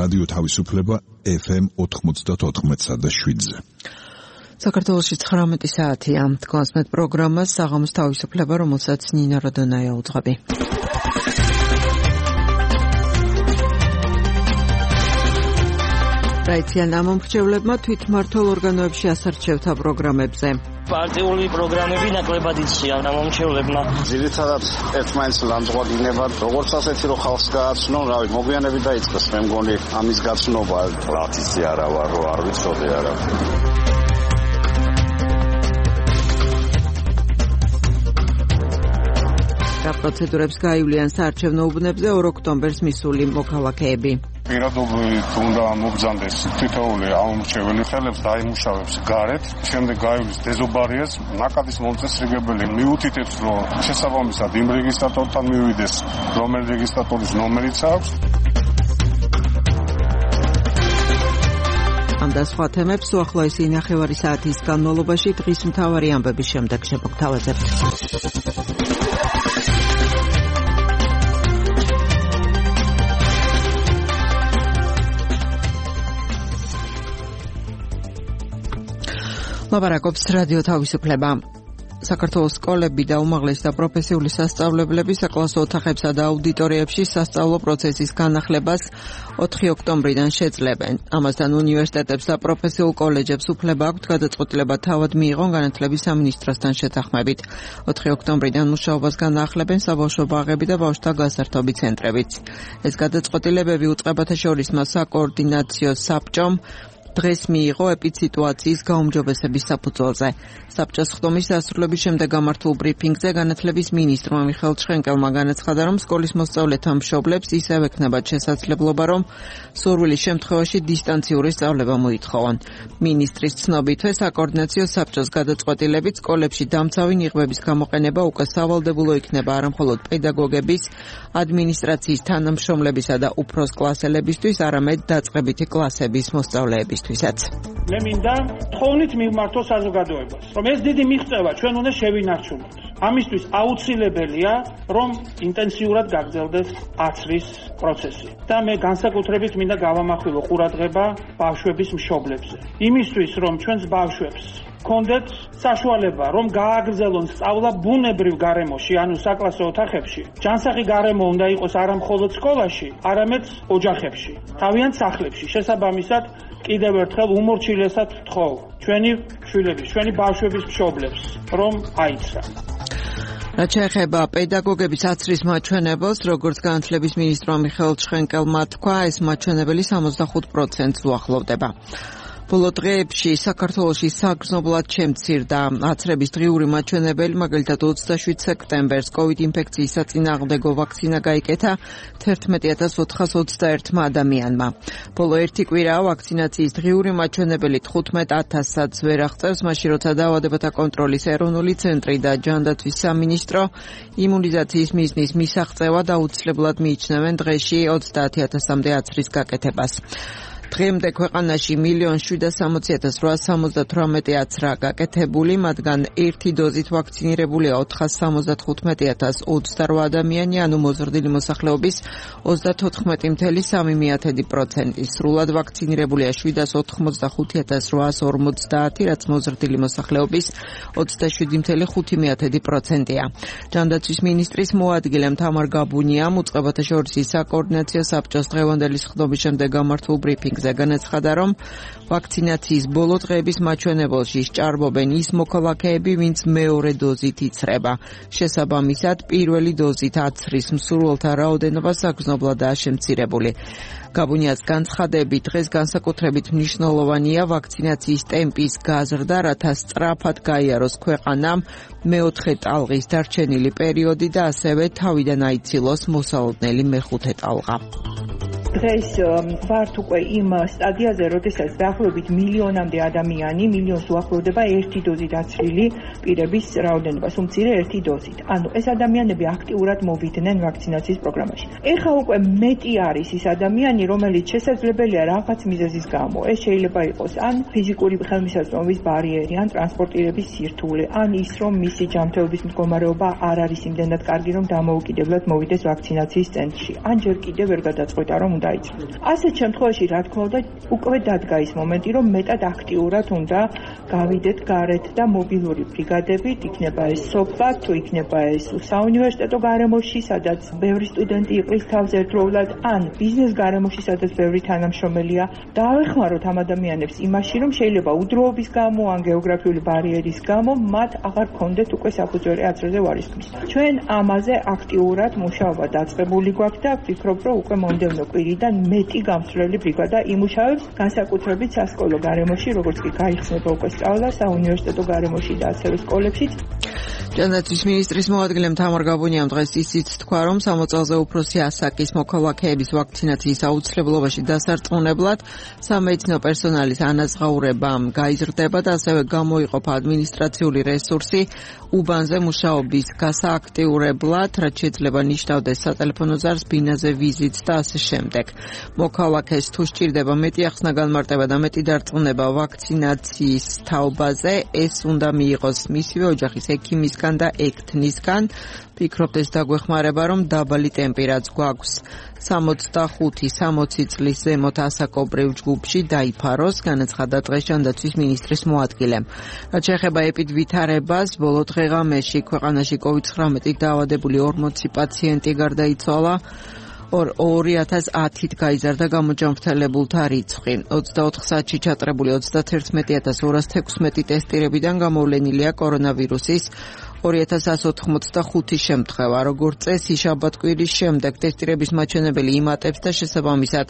რადიო თავისუფლება FM 94.7-ზე. საქართველოში 19 საათია. თქვენს პროგრამას საღამოს თავისუფლება, რომელსაც ნინა როდონაია უძღვები. რაიციან ამომრჩევლებმა თვითმმართველ ორგანოებში ასარჩევთა პროგრამებზე. პარტიული პროგრამები ნაკლებად იციან ამომრჩევლებმა. ძირითადად ერთმანეთს ლამძღვანებად, როგორც ასეთი რომ ხალხს გააცნონ, რავი, მოგვიანებით დაიწყეს, მე მგონი ამის გაცნობა. ლათისი არა ვარ, რომ არ ვიცოდი არა. პროცედურებს გაივლიან საარჩევნო უბნებზე 2 ოქტომბერს მისული მოქალაქეები. პირადობით უნდა მობრძანდეს თითოეული ამომრჩეველი, ხელებს დაიმუშავებს გარეთ, შემდეგ გაივლის დეზობარიას, ნაკადის მომწესრიგებელი მიუთითებს, რომ შესაბამისად იმ რეგისტრატორთან მივიდეს, რომელი რეგისტრატორის ნომერიც აქვს. ამ და სხვა თემებს უახლოესი ნახევარი საათის განმავლობაში დღის მთავარი ამბების შემდეგ შემოგთავაზებთ. ლაპარაკობს რადიო თავისუფლება. საქართველოს სკოლები და უმაღლესი და პროფესიული სასწავლებლები საკლასო ოთახებსა და აუდიტორიებში სასწავლო პროცესის განახლებას 4 ოქტომბრიდან შეძლებენ. ამასთან უნივერსიტეტებს და პროფესიულ კოლეჯებს უფლება აქვთ გადაწყვეტილება თავად მიიღონ განათლების სამინისტროსთან შეთანხმებით. 4 ოქტომბრიდან მუშაობას განაახლებენ საბავშვო ბაღები და ბავშვთა გასართობი ცენტრებიც. ეს გადაწყვეტილებები უწყებათა შორის საკოორდინაციო საბჭომ დღეს მიიღო ეპიდსიტუაციის გაუმჯობესების საფუძველზე. საბჭოს ხდომის დასრულების შემდეგ გამართულ ბრიფინგზე განათლების მინისტრმა მიხეილ ჩხენკელმა განაცხადა, რომ სკოლის მოსწავლეთა მშობლებს ისევ ექნებათ შესაძლებლობა, რომ სურვილის შემთხვევაში დისტანციური სწავლება მოითხოვონ. მინისტრის ცნობითვე საკოორდინაციო საბჭოს გადაწყვეტილებით სკოლებში დამცავი ნიღბების გამოყენება უკვე სავალდებულო იქნება არამხოლოდ პედაგოგების, ადმინისტრაციის თანამშრომლებისა და უფროს კლასელებისთვის, არამედ დაწყებითი კლასების მოსწავლეებისთვის. მე მინდა თხოვნით მივმართო საზოგადოებას, რომ ეს დიდი მიღწევა ჩვენ უნდა შევინარჩუნოთ. ამისთვის აუცილებელია, რომ ინტენსიურად გაგრძელდეს აცრის პროცესი. და მე განსაკუთრებით მინდა გავამახვილო ყურადღება ბავშვების მშობლებზე. იმისთვის, რომ ჩვენს ბავშვებს კონდეთ საშუალება, რომ გააგრძელონ სწავლა ბუნებრივ გარემოში, ანუ საკლასო ოთახებში. ჯანსაღი გარემო უნდა იყოს არა მხოლოდ სკოლაში, არამედ ოჯახებში, თავიანთ სახლებში. შესაბამისად, კიდევ ერთხელ უმორჩილესად ვთხოვ ჩვენი შვილების, ჩვენი ბავშვების მშობლებს, რომ აიცრა. რაც შეეხება პედაგოგების აცრის მაჩვენებელს, როგორც განათლების მინისტრმა მიხეილ ჩხენკელმა თქვა, ეს მაჩვენებელი 65%-ს უახლოვდება. ბოლო დღეებში საქართველოში საგრძნობლად შემცირდა აცრების დღიური მაჩვენებელი, მაგალითად 27 სექტემბერს COVID ინფექციის საწინააღმდეგო ვაქცინა გაიკეთა 11421 ადამიანმა. ბოლო ერთი კვირაა ვაქცინაციის დღიური მაჩვენებელი 15,000-ს ვერ აღწევს, მაშინ როცა დაავადებათა კონტროლის ეროვნული ცენტრი და ჯანდაცვის სამინისტრო იმუნიზაციის მიზნის მისაღწევად აუცილებლად მიიჩნევენ დღეში 30,000-მდე აცრის გაკეთებას. დღემდე ქვეყანაში 1,760,878 აცრა გაკეთებული, მათგან ერთი დოზით ვაქცინირებულია 475,028 ადამიანი, ანუ მოზრდილი მოსახლეობის 34.3%. სრულად ვაქცინირებულია 785,850, რაც მოზრდილი მოსახლეობის 27.5%-ია. ჯანდაცვის მინისტრის მოადგილემ თამარ გაბუნიამ უწყებათა შორის საკოორდინაციო საბჭოს დღევანდელი სხდომის შემდეგ გამართულ ბრიფინგ განაცხადა, რომ ვაქცინაციის ბოლო დღეების მაჩვენებელში სჭარბობენ ის მოქალაქეები, ვინც მეორე დოზით იცრება. შესაბამისად, პირველი დოზით აცრის მსურველთა რაოდენობა საგრძნობლადაა შემცირებული. გაბუნიას განცხადებით, დღეს განსაკუთრებით მნიშვნელოვანია ვაქცინაციის ტემპის გაზრდა, რათა სწრაფად გაიაროს ქვეყანამ მეოთხე ტალღის დარჩენილი პერიოდი და ასევე თავიდან აიცილოს მოსალოდნელი მეხუთე ტალღა. დღეს ვართ უკვე იმ სტადიაზე, როდესაც დაახლოებით მილიონამდე ადამიანი, მილიონს უახლოვდება ერთი დოზით აცრილი პირების რაოდენობას, უმცირე ერთი დოზით. ანუ ეს ადამიანები აქტიურად მოვიდნენ ვაქცინაციის პროგრამაში. ეხლა უკვე მეტი არის ის ადამიანი, რომელიც შესაძლებელია რაღაც მიზეზის გამო. ეს შეიძლება იყოს ან ფიზიკური ხელმისაწვდომობის ბარიერი, ან ტრანსპორტირების სირთულე, ან ის, რომ მისი ჯანმრთელობის მდგომარეობა არ არის იმდენად კარგი, რომ დამოუკიდებლად მოვიდეს ვაქცინაციის ცენტრში. ან ჯერ კიდევ ვერ გადაწყვეტა, რომ უნდა დაიწყოს. ასეთ შემთხვევაში რა თქმა უნდა უკვე დადგა ის მომენტი, რომ მეტად აქტიურად უნდა გავიდეთ გარეთ და მობილური ბრიგადებით, იქნება ეს სოფლა, თუ იქნება ეს საუნივერსიტეტო გარემოში, სადაც ბევრი სტუდენტი იყრის თავს ერთდროულად, ან ბიზნეს გარემოში, სადაც ბევრი თანამშრომელია. დავეხმაროთ ამ ადამიანებს იმაში, რომ შეიძლება udroობის გამო, ან გეოგრაფიული ბარიერის გამო მათ აღარ ქონდეთ უკვე საფუძველი აზრზე ვარისკის. ჩვენ ამაზე აქტიურად მუშაობა დაწყებული გვაქვს და ვფიქრობ, რომ უკვე მომდევნო კვირიდან მეტი გამსვლელი ბრიგადა იმუშავებს, განსაკუთრებით სასკოლო გარემოში, როგორც კი გაიხსნება უკვე სწავლა საუნივერსიტეტო გარემოში და ასევე სკოლებშიც. ჯანდაცვის მინისტრის მოადგილემ თამარ გაბუნიამ დღეს ისიც თქვა, რომ 60 წელზე უფროსი ასაკის მოქალაქეების ვაქცინაციის აუცილებლობაში დასარწმუნებლად სამედიცინო პერსონალის ანაზღაურებამ გაიზრდება და ასევე გამოიყოფა ადმინისტრაციული რესურსი უბანზე მუშაობის გასააქტიურებლად, რაც შეიძლება ნიშნავდეს სატელეფონო ზარს, ბინაზე ვიზიტს და ასე შემდეგ. მოქალაქეს თუ სჭირდება მეტი ახსნა განმარტება და მეტი დარწმუნება ვაქცინაციის თაობაზე, ეს უნდა მიიღოს მისივე ოჯახის ექიმისგან და ექთნისგან. ვფიქრობთ, ეს დაგვეხმარება, რომ დაბალი ტემპი რაც გვაქვს 65-60 წლის ზემოთ ასაკობრივ ჯგუფში დაიფაროს, განაცხადა დღეს ჯანდაცვის მინისტრის მოადგილემ. რაც შეეხება ეპიდვითარებას, ბოლო დღე-ღამეში ქვეყანაში COVID-19-ით დაავადებული 40 პაციენტი გარდაიცვალა. 2010-ით გაიზარდა გამოჯანმრთელებულთა რიცხვი. 24 საათში ჩატარებული 31216 ტესტირებიდან გამოვლენილია კორონავირუსის 2185 შემთხვევა. როგორც წესი, შაბათ-კვირის შემდეგ ტესტირების მაჩვენებელი იმატებს და შესაბამისად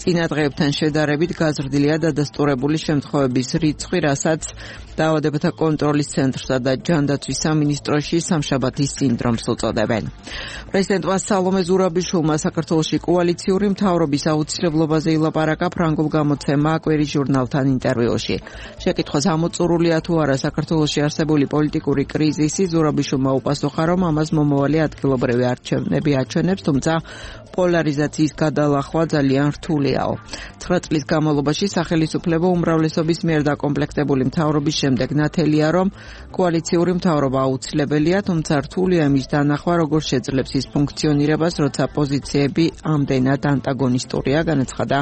წინა დღეებთან შედარებით გაზრდილია დადასტურებული შემთხვევების რიცხვი, რასაც დაავადებათა კონტროლის ცენტრსა და ჯანდაცვის სამინისტროში სამშაბათის სინდრომს უწოდებენ. პრეზიდენტმა სალომე ზურაბიშვილმა საქართველოში კოალიციური მთავრობის აუცილებლობაზე ილაპარაკა ფრანგულ გამოცემა კვირის ჟურნალთან ინტერვიუში. შეკითხვას ამოწურულია თუ არა საქართველოში არსებული პოლიტიკური კრიზისი, ზურაბიშვილმა უპასუხა, რომ ამას მომავალი ადგილობრივი არჩევნები აჩვენებს, თუმცა პოლარიზაციის გადალახვა ძალიან რთულიაო. 9 წლის განმავლობაში სახელისუფლებო უმრავლესობის მიერ დაკომპლექტებული მთავრობის შემდეგ ნათელია, რომ კოალიციური მთავრობა აუცილებელია, თუმცა რთულია იმის დანახვა, როგორ შეძლებს ის ფუნქციონირებას, როცა პოზიციები ამდენად ანტაგონისტურია, განაცხადა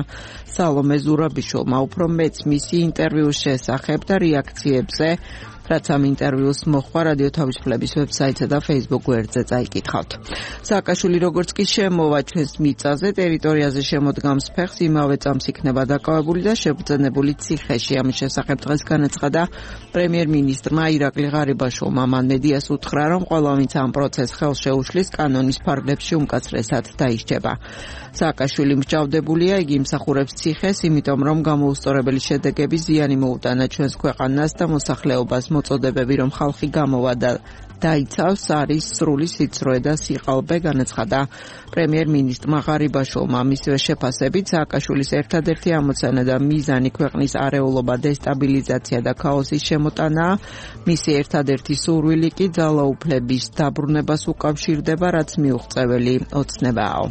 სალომე ზურაბიშვილმა. უფრო მეც მისი ინტერვიუს შესახებ და რეაქციებზე, რაც ამ ინტერვიუს მოხდა რადიო თავისუფლების ვებსაიტსა და Facebook გვერდზე წაიკითხავთ. სააკაშვილი როგორც კი შემოვა ჩვენს მიწაზე, ტერიტორიაზე შემოდგამს ფეხს, იმავე წამს იქნება დაკავებული და შებრძენებული ციხეში. ამის შესახებ დღეს განაცხადა პრემიერ-მინისტრმა ირაკლი ღარიბაშვილმა. მან მედიას უთხრა, რომ ყველა ვინც ამ პროცესს ხელს შეუშლის, კანონის ფარგლებში უმკაცრესად დაისჯება. სააკაშვილი მსჯავრდებულია, იგი იმსახურებს ციხეს, იმიტომ რომ გამოუსწორებელი შედეგები ზიანი მოუტანა ჩვენს ქვეყანას და მოსახლეობას. მოწოდებები, რომ ხალხი გამოვა და დაიცავს, არის სრული სიცრუე და სიყალბე, განაცხადა პრემიერ-მინისტრმა ღარიბაშვილმა. მისივე შეფასებით, სააკაშვილის ერთადერთი ამოცანა და მიზანი ქვეყნის არეულობა, დესტაბილიზაცია და ქაოსის შემოტანაა. მისი ერთადერთი სურვილი კი ძალაუფლების დაბრუნებას უკავშირდება, რაც მიუღწეველი ოცნებაა.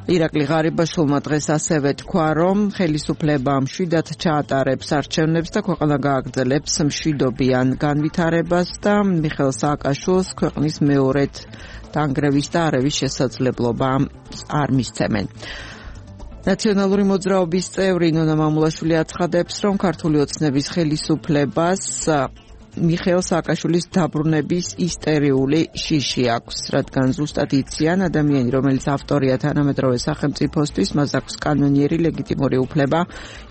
ირაკლი ღარიბაშვილმა დღეს ასევე თქვა, რომ ხელისუფლება მშვიდად ჩაატარებს არჩევნებს და ქვეყანა გააგრძელებს მშვიდობიან განვითარებას და მიხეილ სააკაშვილს ქვეყნის მეორედ დანგრევის და არევის შესაძლებლობა არ მისცემენ. ნაციონალური მოძრაობის წევრი ნონა მამულაშვილი აცხადებს, რომ ქართული ოცნების ხელისუფლებას მიხეილ სააკაშვილის დაბრუნების ისტერიული შიში აქვს, რადგან ზუსტად იციან, ადამიანი, რომელიც ავტორია თანამედროვე სახელმწიფოსთვის, მას აქვს კანონიერი ლეგიტიმური უფლება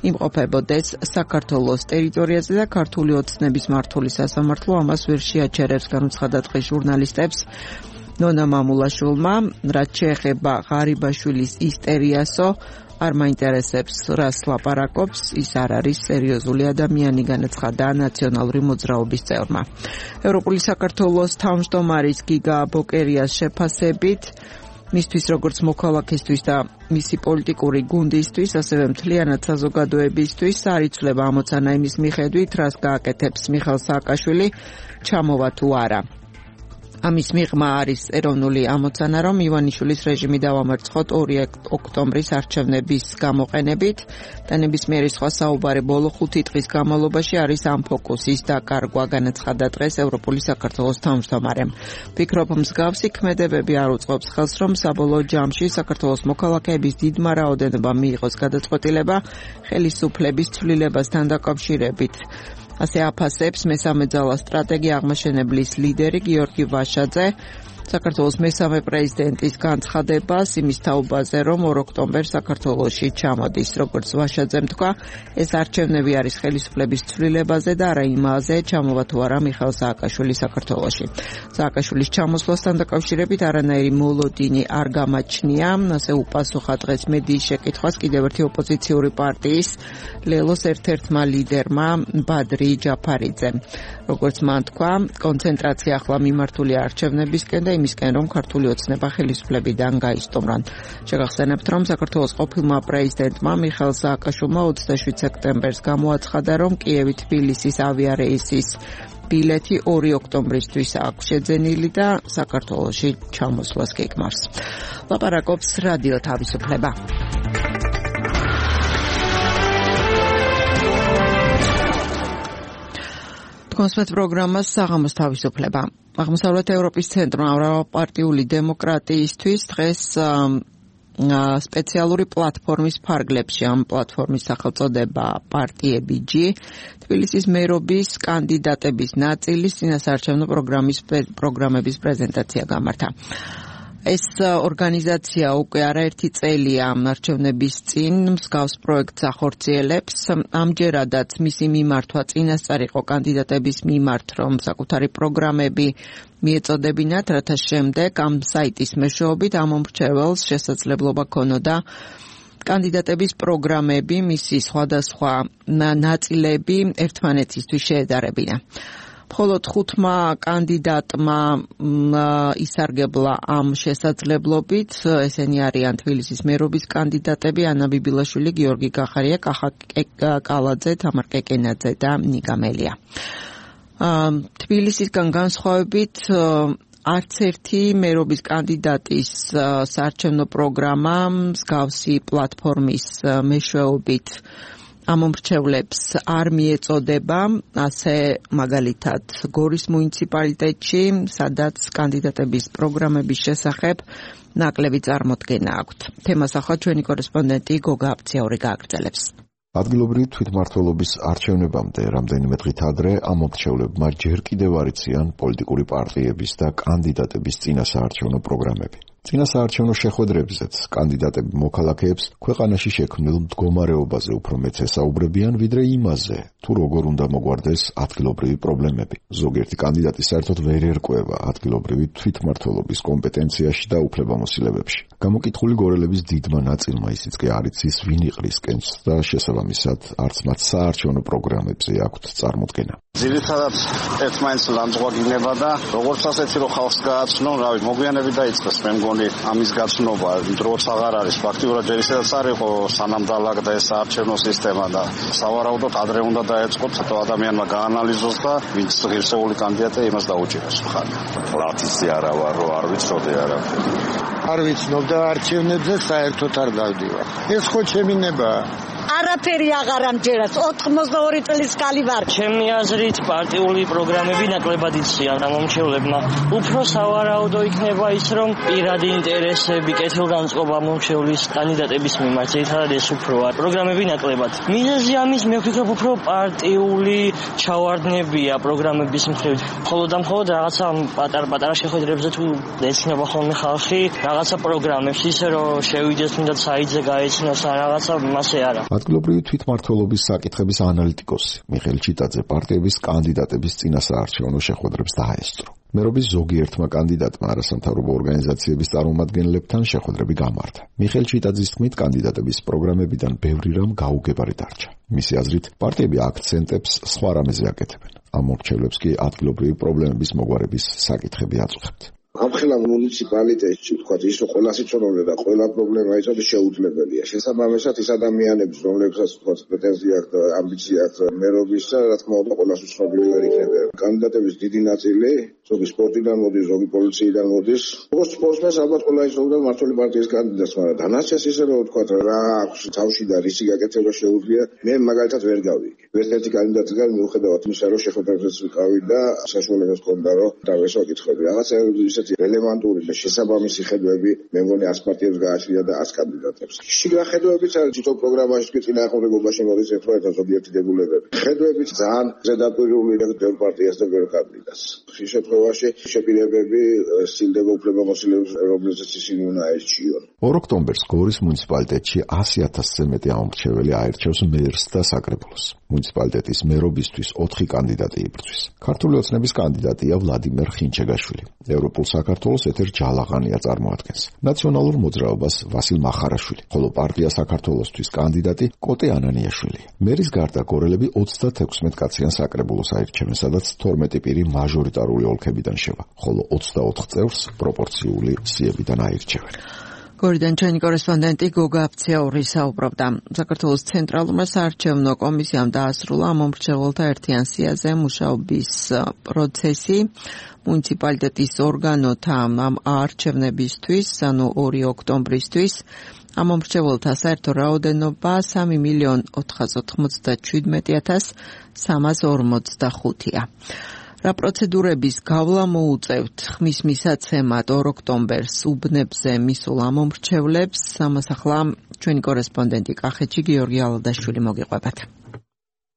იმყოფებოდეს საქართველოს ტერიტორიაზე და ქართული ოცნების მართული სასამართლო ამას ვერ შეაჩერებს, განუცხადა დღეს ჟურნალისტებს ნონა მამულაშვილმა, რაც შეეხება ღარიბაშვილის ისტერიასო, არ მაინტერესებს, რას ლაპარაკობს, ის არ არის სერიოზული ადამიანი, განაცხადა ნაციონალური მოძრაობის წევრმა. ევროპული საქართველოს თავმჯდომარის გიგა ბოკერიას შეფასებით, მისთვის როგორც მოქალაქისთვის და მისი პოლიტიკური გუნდისთვის, ასევე მთლიანად საზოგადოებისთვის არ იცვლება ამოცანა იმის მიხედვით, რას გააკეთებს მიხეილ სააკაშვილი, ჩამოვა თუ არა. ამის მიღმა არის ეროვნული ამოცანა, რომ ივანიშვილის რეჟიმი დავამარცხოთ 2 ოქტომბრის არჩევნების გამოყენებით და ნებისმიერი სხვა საუბარი ბოლო 5 დღის განმავლობაში არის ამ ფოკუსის დაკარგვა, განაცხადა დღეს ევროპული საქართველოს თავმჯდომარემ. ვფიქრობ, მსგავსი ქმედებები არ უწყობს ხელს, რომ საბოლოო ჯამში საქართველოს მოქალაქეების დიდმა რაოდენობამ მიიღოს გადაწყვეტილება ხელისუფლების ცვლილებასთან დაკავშირებით. ასე აფასებს მესამე ძალა სტრატეგია აღმაშენებლის ლიდერი გიორგი ვაშაძე საქართველოს მესამე პრეზიდენტის განცხადებას იმის თაობაზე, რომ 2 ოქტომბერს საქართველოში ჩამოდის. როგორც ვაშაძემ თქვა, ეს არჩევნები არის ხელისუფლების ცვლილებაზე და არა იმაზე, ჩამოვა თუ არა მიხეილ სააკაშვილი საქართველოში. სააკაშვილის ჩამოსვლასთან დაკავშირებით არანაირი მოლოდინი არ გამაჩნია, ასე უპასუხა დღეს მედიის შეკითხვას კიდევ ერთი ოპოზიციური პარტიის ლელოს ერთ-ერთმა ლიდერმა ბადრი ჯაფარიძემ. როგორც მან თქვა, კონცენტრაცია ახლა მიმართულია არჩევნებისკენ და იმისკენ, რომ ქართული ოცნება ხელისუფლებიდან გაისტუმრონ. შეგახსენებთ, რომ საქართველოს ყოფილმა პრეზიდენტმა მიხეილ სააკაშვილმა 27 სექტემბერს გამოაცხადა, რომ კიევი-თბილისის ავიარეისის ბილეთი 2 ოქტომბრისთვის აქვს შეძენილი და საქართველოში ჩამოსვლას გეგმავს. ლაპარაკობს რადიო თავისუფლება. კონსპეთ პროგრამას საღამოს თავისუფლება. აღმოსავლეთ ევროპის ცენტრმა მრავალპარტიული დემოკრატიისთვის დღეს სპეციალური პლატფორმის ფარგლებში, ამ პლატფორმის სახელწოდება პარტიები G, თბილისის მერობის კანდიდატების ნაწილის წინასაარჩევნო პროგრამების პრეზენტაცია გამართა. ეს ორგანიზაცია უკვე არაერთი წელია არჩევნების წინ მსგავს პროექტს ახორციელებს. ამჯერადაც მისი მიმართვა წინასწარ იყო კანდიდატების მიმართ, რომ საკუთარი პროგრამები მიეწოდებინათ, რათა შემდეგ ამ საიტის მეშვეობით ამ მომრჩეველს შესაძლებლობა ქონოდა კანდიდატების პროგრამები, მისი სხვადასხვა ნაწილები ერთმანეთისთვის შეედარებინა. მხოლოდ 5 კანდიდატმა ისარგებლა ამ შესაძლებლობით. ესენი არიან თბილისის მერობის კანდიდატები ანა ბიბილაშვილი, გიორგი კახარია, კახა კალაძე, თამარ კეკენაძე და ნიკა მელია. თბილისისგან განსხვავებით არც ერთი მერობის კანდიდატის საარჩევნო პროგრამა მსგავსი პლატფორმის მეშვეობით ამომრჩევლებს არ მიეწოდება, ასე მაგალითად გორის მუნიციპალიტეტში, სადაც კანდიდატების პროგრამების შესახებ ნაკლები წარმოდგენა აქვთ. თემას ახლა ჩვენი კორესპონდენტი გოგა აფციური გააგრძელებს. ადგილობრივი თვითმმართველობის არჩევნებამდე რამდენიმე დღით ადრე ამომრჩევლებმა ჯერ კიდევ არ იციან პოლიტიკური პარტიების და კანდიდატების წინასაარჩევნო პროგრამები. წინასაარჩევნო შეხვედრებზეც კანდიდატები მოქალაქეებს ქვეყანაში შექმნილ მდგომარეობაზე უფრო მეც ესაუბრებიან, ვიდრე იმაზე, თუ როგორ უნდა მოგვარდეს ადგილობრივი პრობლემები. ზოგიერთი კანდიდატი საერთოდ ვერ ერკვევა ადგილობრივი თვითმმართველობის კომპეტენციაში და უფლებამოსილებებში. გამოკითხული გორელების დიდმა ნაწილმა ისიც კი არ იცის, ვინ იყრისკენს და შესაბამისად არც მათ საარჩევნო პროგრამებზე აქვთ წარმოდგენა. ძირითადად ერთმანეთს ლანძღვაგინება და როგორც ასეთი რომ ხალხს გააცნონ, მოგვიანებით დაიწყეს მე მგონი ამის გაცნობა, დროც აღარ არის ფაქტიურად ჯერ ისედაც არ იყო სანამ დაალაგდა ეს საარჩევნო სისტემა და სავარაუდოდ ადრე უნდა დაეწყოთ ცოტა ადამიანმა გაანალიზოს და ვინც ღირსეული კანდიდატია იმას დაუჭიროს ხარ. ლათისი არა ვარ, რომ არ ვიცოდი არაფერი. არ ვიცნობ და არჩევნებზე საერთოდ არ გავდივარ. ეს ხო ჩემი ნებაა. არაფერი აღარ ამჯერას 82 წლის კალი ვარ. ჩემი აზრით პარტიული პროგრამები ნაკლებად იციან ამომრჩევლებმა. უფრო სავარაუდო იქნება ის, რომ პირადი ინტერესები, კეთილგანწყობა მომრჩევლის კანდიდატების მიმართ, ერთადად ეს უფროა. პროგრამები ნაკლებად. მიზეზი ამის მე ვფიქრობ უფრო პარტიული ჩავარდნებია პროგრამების მხრივ. მხოლოდ რაღაცა პატარ-პატარა შეხვედრებზე თუ ეცნობა ხოლმე ხალხი რაღაცა პროგრამებს, ისე რომ შევიდეს თუნდაც საიტზე გაეცნოს ან რაღაცა მასე არა. ადგილობრივი თვითმმართველობის საკითხების ანალიტიკოსი მიხეილ ჩიტაძე პარტიების კანდიდატების წინასაარჩევნო შეხვედრებს დაესწრო. მერობის ზოგიერთმა კანდიდატმა არასამთავრობო ორგანიზაციების წარმომადგენლებთან შეხვედრები გამართა. მიხეილ ჩიტაძის თქმით, კანდიდატების პროგრამებიდან ბევრი რამ გაუგებარი დარჩა. მისი აზრით, პარტიები აქცენტებს სხვა რამეზე აკეთებენ. ამ მორჩევლებს კი ადგილობრივი პრობლემების მოგვარების საკითხები აწუხებთ. ამხელა მუნიციპალიტეტში თქვა ის რომ ყველა სიჩვეულე და ყველა პრობლემა იცოდეს შეუძლებელია. შესაბამისად ის ადამიანებს, რომლებსაც თქვა პრეტენზია აქვს და ამბიცია აქვს მერობისა, რა თქმა უნდა ყველას უცნობი ვერ იქნება. კანდიდატების დიდი ნაწილი ზოგი სპორტიდან მოდის, ზოგი პოლიციიდან მოდის. როგორც სპორტსმენს ალბათ ყველა ისწავლდა მმართველი პარტიის კანდიდატს, მაგრამ დანარჩენს ისე რომ ვთქვა რა აქვს თავში და რისი გაკეთება შეუძლია, მე მაგალითად ვერ გავიგე. ერთ-ერთი კანდიდატიდან მიუხედავად იმისა, რომ შეხვედრებზეც ვიყავი და საშუალებას ჰქონდა რომ დავესვა კითხვები. რაღაცა ისეთი რელევანტური და შესაბამისი ხედვები მე მგონი 100 პარტიებს გააჩნია და 100 კანდიდატებს. შიგა ხედვებიც არის თვითონ პროგრამაში კი წინააღმდეგობაში მოდის ერთმანეთთან ზოგიერთი დებულებები. ხედვებიც ძალიან ზედაპირული და ბევრ პარტიას და ბევრ კანდიდატს. ხშირ შემთხვევაში შეპირებები სცილდება უფლებამოსილებს, რომლებზეც ისინი უნდა აერჩიონ. 2 ოქტომბერს გორის მუნიციპალიტეტში 100,000-ზე მეტი ამომრჩეველი აირჩევს მერს და საკრებულოს. მუნიციპალიტეტის მერობისთვის 4 კანდიდატი იბრძვის. ქართული ოცნების კანდიდატია ვლადიმერ ხინჩეგაშვილი. ევროპულ საქართველოს ეთერ ჯალაღანია წარმოადგენს. ნაციონალურ მოძრაობას ვასილ მახარაშვილი, ხოლო პარტია საქართველოსთვის კანდიდატი კოტე ანანიაშვილი. მერის გარდა გორელები 36 კაციან საკრებულოს აირჩევენ, სადაც 12 პირი მაჟორიტარული ოლქებიდან შევა, ხოლო 24 წევრს პროპორციული სიებიდან აირჩევენ. გორიდან ჩვენი კორესპონდენტი გოგა აფციაური საუბრობდა. საქართველოს ცენტრალურმა საარჩევნო კომისიამ დაასრულა ამომრჩეველთა ერთიან სიაზე მუშაობის პროცესი. მუნიციპალიტეტის ორგანოთა ამ არჩევნებისთვის, ანუ 2 ოქტომბრისთვის, ამომრჩეველთა საერთო რაოდენობა 3,497,345-ია. რა პროცედურების გავლა მოუწევთ ხმის მისაცემად 2 ოქტომბერს უბნებზე მისულ ამომრჩევლებს, ამას ახლა ჩვენი კორესპონდენტი კახეთში გიორგი ალადაშვილი მოგიყვებათ.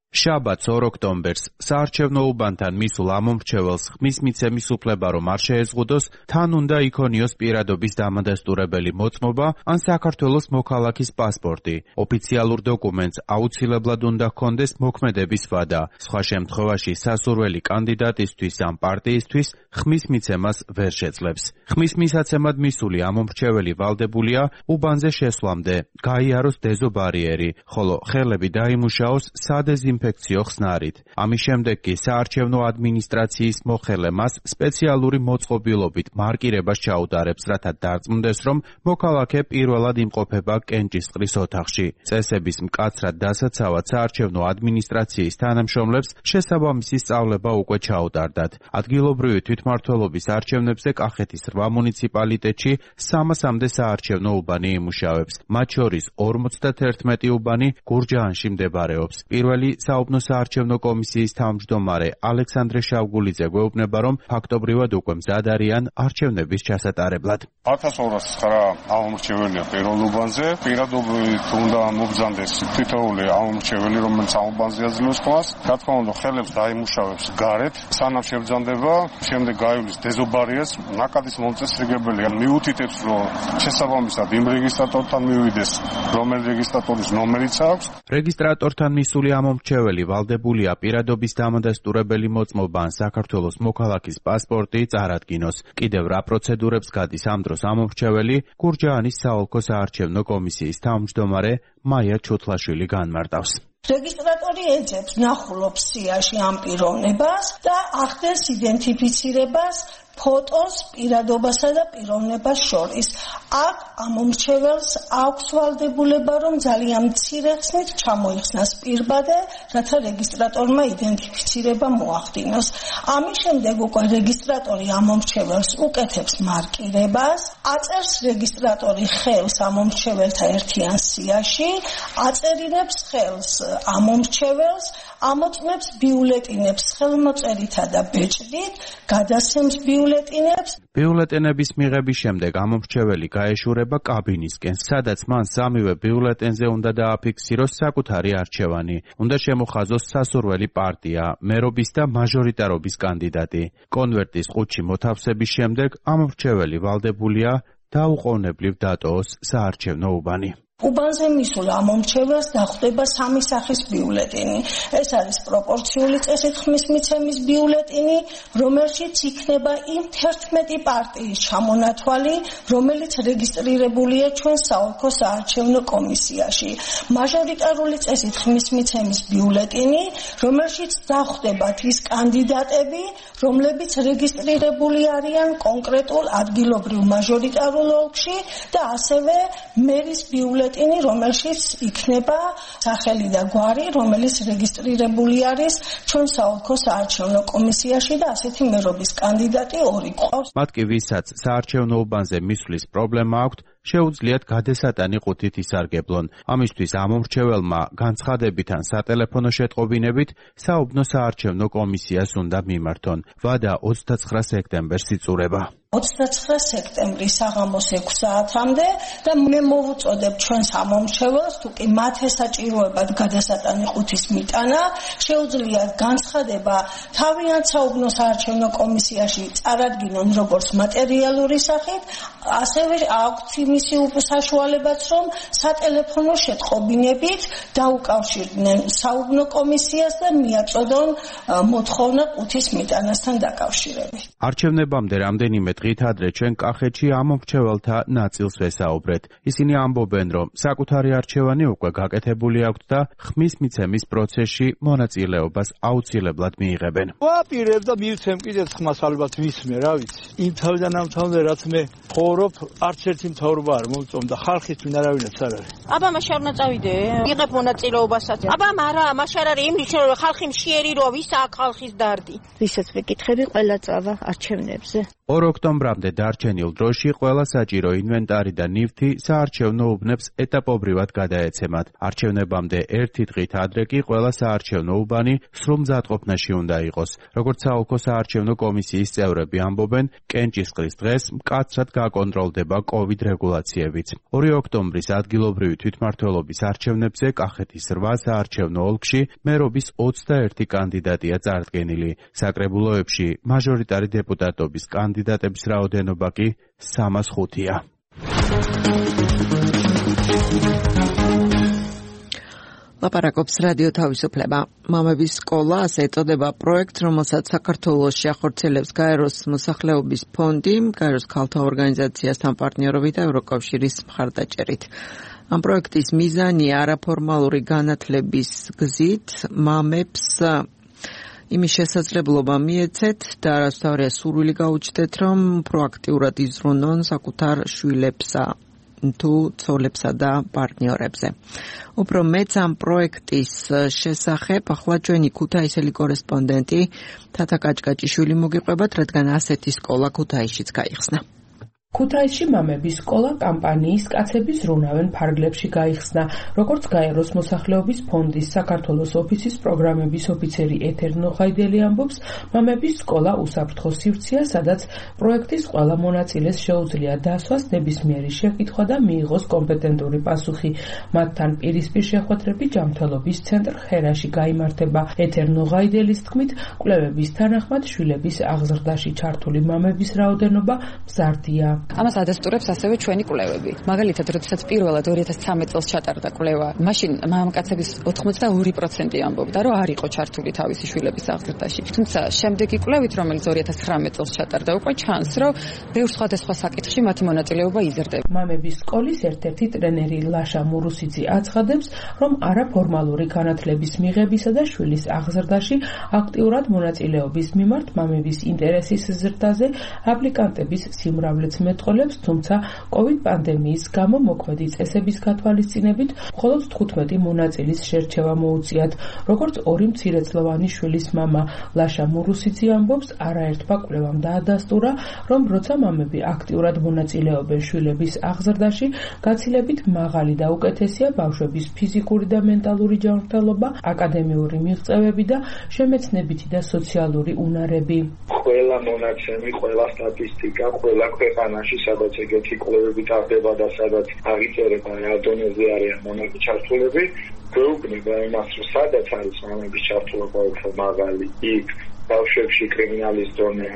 შაბათს 2 ოქტომბერს საარჩევნო უბანთან მისულ ამომრჩეველს ხმის მიცემის უფლება რომ არ შეეზღუდოს, თან უნდა იქონიოს პირადობის დამადასტურებელი მოწმობა ან საქართველოს მოქალაქის პასპორტი. ოფიციალურ დოკუმენტს აუცილებლად უნდა ჰქონდეს მოქმედების ვადა. სხვა შემთხვევაში სასურველი კანდიდატისთვის ან პარტიისთვის ხმის მიცემას ვერ შეძლებს. ხმის მისაცემად მისული ამომრჩეველი ვალდებულია უბანზე შესვლამდე გაიაროს დეზობარიერი, ხოლო ხელები დაიმუშაოს სადეზინფექციო ხსნარით. ამის შემდეგ კი საარჩევნო ადმინისტრაციის მოხელე მას სპეციალური მოწყობილობით მარკირებას ჩაუტარებს, რათა დარწმუნდეს, რომ მოქალაქე პირველად იმყოფება კენჭისყრის ოთახში. წესების მკაცრად დასაცავად საარჩევნო ადმინისტრაციის თანამშრომლებს შესაბამისი სწავლება უკვე ჩაუტარდათ. ადგილობრივი თვითმმართველობის არჩევნებზე კახეთის 8 მუნიციპალიტეტში 300-მდე საარჩევნო უბანი იმუშავებს. მათ შორის 51 უბანი გურჯაანში მდებარეობს. პირველი საუბნო საარჩევნო კომისიის თავმჯდომარე ალექსანდრე შავგულიძე გვეუბნება, რომ ფაქტობრივად უკვე მზად არიან არჩევნების ჩასატარებლად. 1209 ამომრჩეველია პირველ უბანზე. პირადობით უნდა მობრძანდეს თითოეული ამომრჩეველი, რომელიც ამ უბანზე აძლევს ხმას. რა თქმა უნდა, ხელებს დაიმუშავებს გარეთ, სანამ შევძანდება, შემდეგ გაივლის დეზობარიას, ნაკადის მომწესრიგებელია. მიუთითებს, რომ შესაბამისად იმ რეგისტრატორთან მივიდეს, რომელი რეგისტრატორის ნომერიც აქვს. რეგისტრატორთან მისული ამომრჩეველი ვალდებულია პირადობის დამადასტურებელი მოწმობა ან საქართველოს მოქალაქის პასპორტი წარადგინოს. კიდევ რა პროცედურებს გადის ამ დროს ამომრჩეველი, გურჯაანის საოლქო საარჩევნო კომისიის თავმჯდომარე მაია ჩუთლაშვილი განმარტავს. რეგისტრატორი ეძებს ნახულობს სიაში ამ პიროვნებას და ახდენს იდენტიფიცირებას ფოტოს პირადობასა და პიროვნებას შორის. აქ ამომრჩეველს აქვს ვალდებულება, რომ ძალიან მცირე ხსნით ჩამოიხსნას პირბადე, რათა რეგისტრატორმა იდენტიფიცირება მოახდინოს. ამის შემდეგ უკვე რეგისტრატორი ამომრჩეველს უკეთებს მარკირებას, აწერს რეგისტრატორი ხელს ამომრჩეველთა ერთიან სიაში, აწერინებს ხელს ამომრჩეველს, ამოწმებს ბიულეტინებს ხელმოწერითა და ბეჭდით, გადასცემს ბიულეტინებს. ბიულეტენების მიღების შემდეგ ამომრჩეველი გაეშურება კაბინისკენ, სადაც მან სამივე ბიულეტენზე უნდა დააფიქსიროს საკუთარი არჩევანი. უნდა შემოხაზოს სასურველი პარტია, მერობის და მაჟორიტარობის კანდიდატი. კონვერტის ყუთში მოთავსების შემდეგ ამომრჩეველი ვალდებულია დაუყოვნებლივ დატოვოს საარჩევნო უბანი. უბანზე მისულ ამომრჩეველს დახვდება 3 სახის ბიულეტინი. ეს არის პროპორციული წესით ხმის მიცემის ბიულეტინი, რომელშიც იქნება იმ 11 პარტიის ჩამონათვალი, რომელიც რეგისტრირებულია ჩვენ საოლქო საარჩევნო კომისიაში. მაჟორიტარული წესით ხმის მიცემის ბიულეტინი, რომელშიც დახვდებათ ის კანდიდატები, რომლებიც რეგისტრირებული არიან კონკრეტულ ადგილობრივ მაჟორიტარულ ოლქში და ასევე მერის ბიულეტინი ბიულეტინი, რომელშიც იქნება სახელი და გვარი, რომელიც რეგისტრირებული არის ჩვენ საოლქო საარჩევნო კომისიაში და ასეთი მერობის კანდიდატი 2 გვყავს. მათ კი ვისაც საარჩევნო უბანზე მისვლის პრობლემა აქვთ, შეუძლიათ გადესატანი ყუთით ისარგებლონ. ამისთვის ამომრჩეველმა განცხადებით ან სატელეფონო შეტყობინებით საუბნო საარჩევნო კომისიას უნდა მიმართონ. ვადა 29 სექტემბერს იწურება. 29 სექტემბრის საღამოს 6 საათამდე და მე მოვუწოდებ ჩვენს ამომრჩეველს, თუ კი მათ ესაჭიროებათ გადასატანი ყუთის მიტანა, შეუძლიათ განცხადება თავიანთ საუბნო საარჩევნო კომისიაში წარადგინონ როგორც მატერიალური სახით, ასევე აქვთ იმისი საშუალებაც, რომ სატელეფონო შეტყობინებით დაუკავშირდნენ საუბნო კომისიას და მიაწოდონ მოთხოვნა ყუთის მიტანასთან დაკავშირებით. არჩევნებამდე რამდენიმე დღით ადრე ჩვენ კახეთში ამომრჩეველთა ნაწილს ვესაუბრეთ. ისინი ამბობენ, რომ საკუთარი არჩევანი უკვე გაკეთებული აქვთ და ხმის მიცემის პროცესში მონაწილეობას აუცილებლად მიიღებენ. ვაპირებ და მივცემ კიდეც ხმას ალბათ ვისმე, რა ვიცი. იმ თავიდან ამ თავამდე რაც მე ხოვრობ, არც ერთი მთავრობა არ მომწონს და ხალხის ვინ არავინაც არ არის. აბა მაშინ არ უნდა წავიდე, იღებ მონაწილეობასაც. აბა არა, მაშინ არ არის იმის რომ ხალხი მშიერი რო ვის აქ ხალხის დარდი. ვისაც ვიკითხები ყველა წავა არჩევნებზე. 2 ოქტომბრამდე დარჩენილ დროში ყველა საჭირო ინვენტარი და ნივთი საარჩევნო უბნებს ეტაპობრივად გადაეცემათ. არჩევნებამდე 1 დღით ადრე კი ყველა საარჩევნო უბანი სრულ მზადყოფნაში უნდა იყოს. როგორც საოლქო საარჩევნო კომისიის წევრები ამბობენ, კენჭისყრის დღეს მკაცრად გაკონტროლდება COVID რეგულაციებიც. 2 ოქტომბრის ადგილობრივი თვითმმართველობის არჩევნებზე კახეთის 8 საარჩევნო ოლქში მერობის 21 კანდიდატია წარდგენილი. საკრებულოებში მაჟორიტარი დეპუტატობის კანდიდატების რაოდენობა კი 305-ია. ლაპარაკობს რადიო თავისუფლება. მამების სკოლა, ასე ეწოდება პროექტ, რომელსაც საქართველოს შეახორციელებს გაეროს მოსახლეობის ფონდი, გაეროს ქალთა ორგანიზაციასთან პარტნიორობით და ევროკავშირის მხარდაჭერით. ამ პროექტის მიზანია არაფორმალური განათლების გზით მამებს იმის შესაძლებლობა მიეცეთ და არასდროულად სურვილი გაუჩნდეთ, რომ პროაქტიურად იზრუნონ საკუთარ შვილებსა თუ ცოლებსა და პარტნიორებზე. უფრო მეც ამ პროექტის შესახებ ახლა ჩვენი ქუთაისელი კორესპონდენტი თათა კაჭკაჭიშვილი მოგიყვებათ, რადგან ასეთი სკოლა ქუთაისშიც გაიხსნა. ქუთაისში მამების სკოლა კამპანიის კაცები ზრუნავენ ფარგლებში გაიხსნა. როგორც გაეროს მოსახლეობის ფონდის საქართველოს ოფისის პროგრამების ოფიცერი ეთერ ნოხაიდელი ამბობს, მამების სკოლა უსაფრთხო სივრცეა, სადაც პროექტის ყველა მონაწილეს შეუძლია დასვას ნებისმიერი შეკითხვა და მიიღოს კომპეტენტური პასუხი. მათთან პირისპირ შეხვედრები ჯანმრთელობის ცენტრ ხერაში გაიმართება. ეთერ ნოხაიდელის თქმით, კვლევების თანახმად შვილების აღზრდაში ჩართული მამების რაოდენობა მზარდია. ამას ადასტურებს ასევე ჩვენი კვლევები. მაგალითად, როდესაც პირველად 2013 წელს ჩატარდა კვლევა, მაშინ მამაკაცების 82% ამბობდა, რომ არ იყო ჩართული თავისი შვილების აღზრდაში. თუმცა შემდეგი კვლევით, რომელიც 2019 წელს ჩატარდა, უკვე ჩანს, რომ ბევრ სხვადასხვა საკითხში მათი მონაწილეობა იზრდება. მამების სკოლის ერთ-ერთი ტრენერი ლაშა მურუსიძე აცხადებს, რომ არაფორმალური განათლების მიღებისა და შვილის აღზრდაში აქტიურად მონაწილეობის მიმართ მამების ინტერესის ზრდაზე აპლიკანტების სიმრავლეც მეტყოლებს, თუმცა COVID პანდემიის გამო მოქმედი წესების გათვალისწინებით მხოლოდ 15 მონაწილის შერჩევა მოუწიათ. როგორც 2 მცირეწლოვანი შვილის მამა ლაშა მურუსიძე ამბობს, არაერთმა კვლევამ დაადასტურა, რომ როცა მამები აქტიურად მონაწილეობენ შვილების აღზრდაში, გაცილებით მაღალი და უკეთესია ბავშვების ფიზიკური და მენტალური ჯანმრთელობა, აკადემიური მიღწევები და შემეცნებითი და სოციალური უნარები. ყველა მონაცემი, ყველა სტატისტიკა, ყველა ქვეყანაში, სადაც ეგეთი კვლევები ტარდება და სადაც აღიწერება რა დონეზე არიან მამების ჩართულები, გვეუბნება იმას, რომ სადაც არის მამების ჩართულობა უფრო მაღალი, იქ ბავშვებში კრიმინალის დონე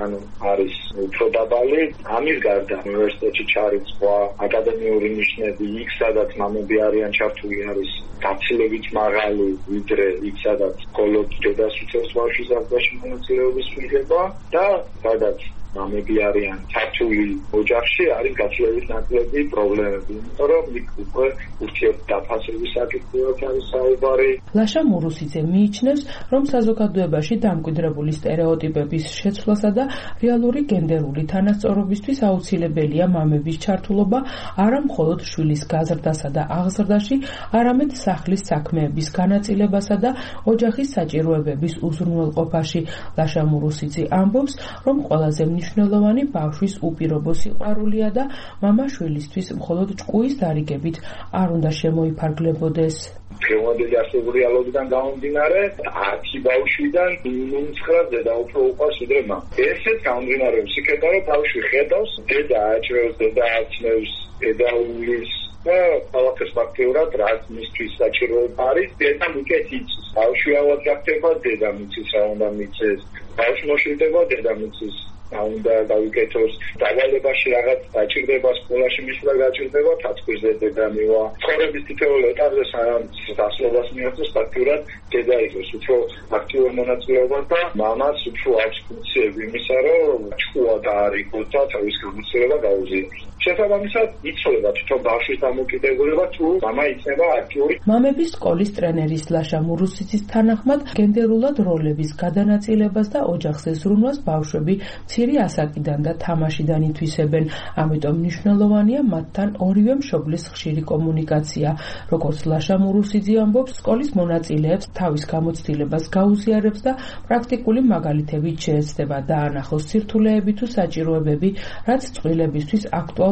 არის უფრო დაბალი. ამის გარდა უნივერსიტეტში ჩარიცხვა, აკადემიური ნიშნები, იქ სადაც მამები არიან ჩართული არის გაცილებით მაღალი, ვიდრე იქ სადაც მხოლოდ დედას უწევს ბავშვის აღზრდაში მონაწილეობის მიღება და სადაც მამები არიან ქართული ოჯახში არის გაცილებით ნაკლები პრობლემები, იმიტომ რომ იქ უკვე ურთიერთდაფასების საკითხებიც არის საუბარი. ლაშა მურუსიძე მიიჩნევს, რომ საზოგადოებაში დამკვიდრებული სტერეოტიპების შეცვლასა და რეალური გენდერული თანასწორობისთვის აუცილებელია მამების ჩართულობა არა მხოლოდ შვილის გაზრდასა და აღზრდაში, არამედ სახლის საქმეების განაწილებასა და ოჯახის საჭიროებების უზრუნველყოფაში. ლაშა მურუსიძე ამბობს, რომ ყველაზე მნიშვნელოვანი ბავშვის უპირობო სიყვარულია და მამა შვილისთვის მხოლოდ ჭკუის დარიგებით არ უნდა შემოიფარგლებოდეს. დღევანდელი არსებული რეალობიდან გამომდინარე, 10 ბავშვიდან 9 დედა უფრო უყვარს ვიდრე მამა. ესეც გამომდინარეობს იქიდან, რომ ბავშვი ხედავს, დედა აჭრევს, დედა აცნევს, დედა უვლის და ყველაფერს ფაქტიურად რაც მისთვის საჭიროება არის, დედამ უკეთ იცის. ბავშვი ავად გახდება, დედამ იცის რა უნდა მიცეს. ბავშვი მოშვილდება, დედამ იცის. უნდა დავიკეთოს დავალებაში რაღაც დაჭირდება სკოლაში მისვლა გაჭირდება თათბირზე დედა მივა ცხოვრების თითოეულ ეტაპზე სანამ დასწავლას მიაღწევს ფაქტურად დედა იყოს უფრო აქტიურ მონაწილეობას და მამაც უფრო აქვს ფუნქციები იმისა რომ ჭკუა დაარიგოს და თავის გამოცდილება გაუზიაროს შესაბამისად იცოლება თვითონ ბავშვის დამოკიდებულება თუ მამა იქნება აქტიური. მამების სკოლის ტრენერის ლაშა მურუსიძის თანახმად გენდერულად როლების გადანაწილებას და ოჯახზე ზრუნვას ბავშვები მცირე ასაკიდან და თამაშიდან ითვისებენ. ამიტომ მნიშვნელოვანია მათთან ორივე მშობლის ხშირი კომუნიკაცია. როგორც ლაშა მურუსიძე ამბობს, სკოლის მონაწილეებს თავის გამოცდილებას გაუზიარებს და პრაქტიკული მაგალითებით შეეცდება დაანახოს სირთულეები თუ საჭიროებები, რაც წყვილებისთვის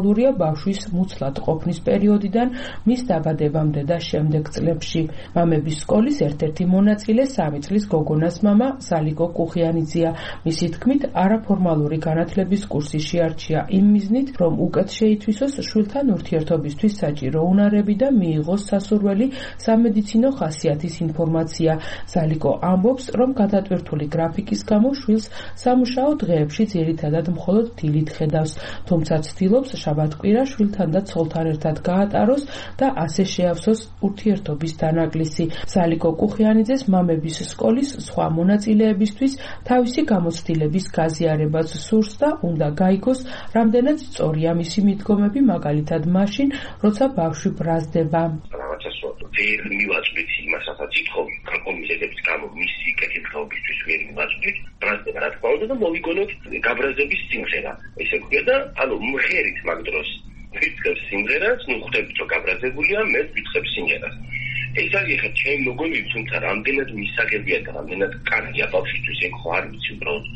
აქტუალურია ბავშვის მუცლად ყოფნის პერიოდიდან მის დაბადებამდე და შემდეგ წლებში. მამების სკოლის ერთ-ერთი მონაწილე 3 წლის გოგონას მამა სალიკო კუხიანიძეა. მისი თქმით, არაფორმალური განათლების კურსი შეარჩია იმ მიზნით, რომ უკეთ შეითვისოს შვილთან ურთიერთობისთვის საჭირო უნარები და მიიღოს სასურველი სამედიცინო ხასიათის ინფორმაცია. სალიკო ამბობს, რომ გადატვირთული გრაფიკის გამო შვილს სამუშაო დღეებში ძირითადად მხოლოდ დილით ხედავს, თუმცა ცდილობს შაბათ-კვირა შვილთან და ცოლთან ერთად გაატაროს და ასე შეავსოს ურთიერთობის დანაკლისი. სალიკო კუხიანიძეს მამების სკოლის სხვა მონაწილეებისთვის თავისი გამოცდილების გაზიარებაც სურს და უნდა გაიგოს, რამდენად სწორია მისი მიდგომები, მაგალითად მაშინ, როცა ბავშვი ბრაზდება. ვერ მივაწვდით იმასაც ითხოვი კომისიების გამო მისი კეთილდღეობისთვის ვერ მივაწვდით ბრაზდება რა თქმა უნდა და მოვიგონოთ გაბრაზების სიმღერა ესე ვქია და ანუ მღერით მაგ დროს ვიწყებს სიმღერას ნუ ხვდებით რომ გაბრაზებულია მე ვიწყებ სიმღერას ეს არის ხა ჩემ მოგონი თუმცა რამდენად მისაღებია და რამდენად კარგია ბავშვისთვის ეგ ხო არ ვიცი უბრალოდ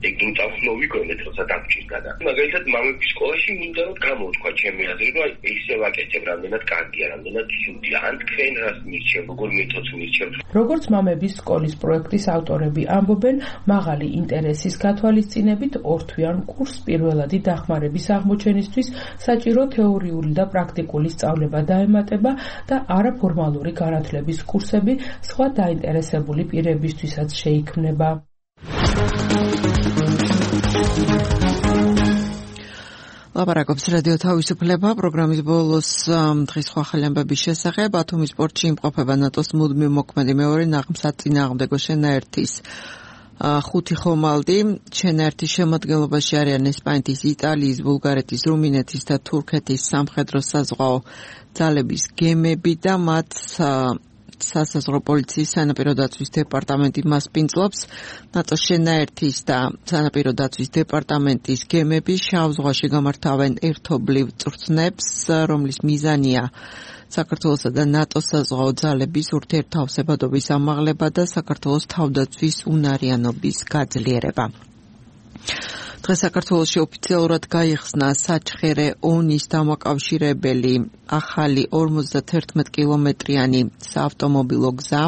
ეგ ინტავს მოვიგონეთ როცა დაგჭირდა და მაგალითად მამების სკოლაში მინდა რომ გამოვთქვა ჩემი აზრი რომ ისე ვაკეთებ რამდენად კარგია რამდენად ცუდია ან თქვენ რას მირჩევ როგორ მეთოდს მირჩევ. როგორც მამების სკოლის პროექტის ავტორები ამბობენ, მაღალი ინტერესის გათვალისწინებით ორთვიან კურსს პირველადი დახმარების აღმოჩენისთვის საჭირო თეორიული და პრაქტიკული სწავლება დაემატება და არაფორმალური განათლების კურსები სხვა დაინტერესებული პირებისთვისაც შეიქმნება. ლაპარაკობს რადიო თავისუფლება პროგრამის ბოლოს დღის სხვა ახალი ამბების შესახებ. ათომის პორტში იმყოფება ნატოს მუდმივ მოქმედი მეორე ნაღმსაწინააღმდეგო შენაერთის 5 ხომალდი. შენაერთის შემადგენლობაში არიან ესპანეთის, იტალიის, ბულგარეთის, რუმინეთის და თურქეთის სამხედრო-საზღვაო ძალების გემები და მათ სასაზღვრო პოლიციის სანაპირო დაცვის დეპარტამენტი მასპინძლობს. ნატოს შენაერთის და სანაპირო დაცვის დეპარტამენტის გემები შავ ზღვაში გამართავენ ერთობლივ წვრთნებს, რომლის მიზანია საქართველოსა და ნატოს საზღვაო ძალების ურთიერთთავსებადობის ამაღლება და საქართველოს თავდაცვის უნარიანობის გაძლიერება. დღეს საქართველოში ოფიციალურად გაიხსნა საჩხერე ონის დამაკავშირებელი ახალი 51 კილომეტრიანი საავტომობილო გზა.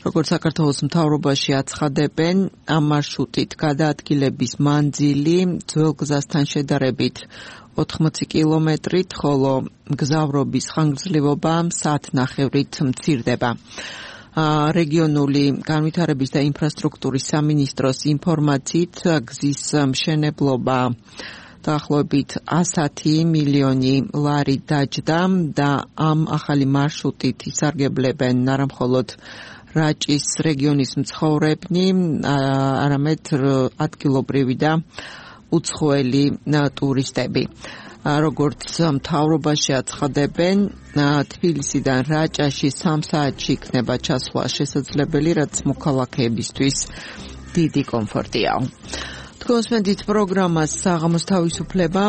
როგორც საქართველოს მთავრობაში აცხადებენ, ამ მარშრუტით გადაადგილების მანძილი ძველ გზასთან შედარებით 80 კილომეტრით, ხოლო გზავრობის ხანგრძლივობა საათნახევრით მცირდება. რეგიონული განვითარების და ინფრასტრუქტურის სამინისტროს ინფორმაციით გზის მშენებლობა დაახლოებით 110 მილიონი ლარი დაჯდა და ამ ახალი მარშრუტით ისარგებლებენ არა მხოლოდ რაჭის რეგიონის მცხოვრებნი, არამედ ადგილობრივი და უცხოელი ტურისტები. როგორც მთავრობაში აცხადებენ, თბილისიდან რაჭაში 3 საათში იქნება ჩასვლა შესაძლებელი, რაც მოქალაქეებისთვის დიდი კომფორტია. თქვენს პროგრამას საღამოს თავისუფლება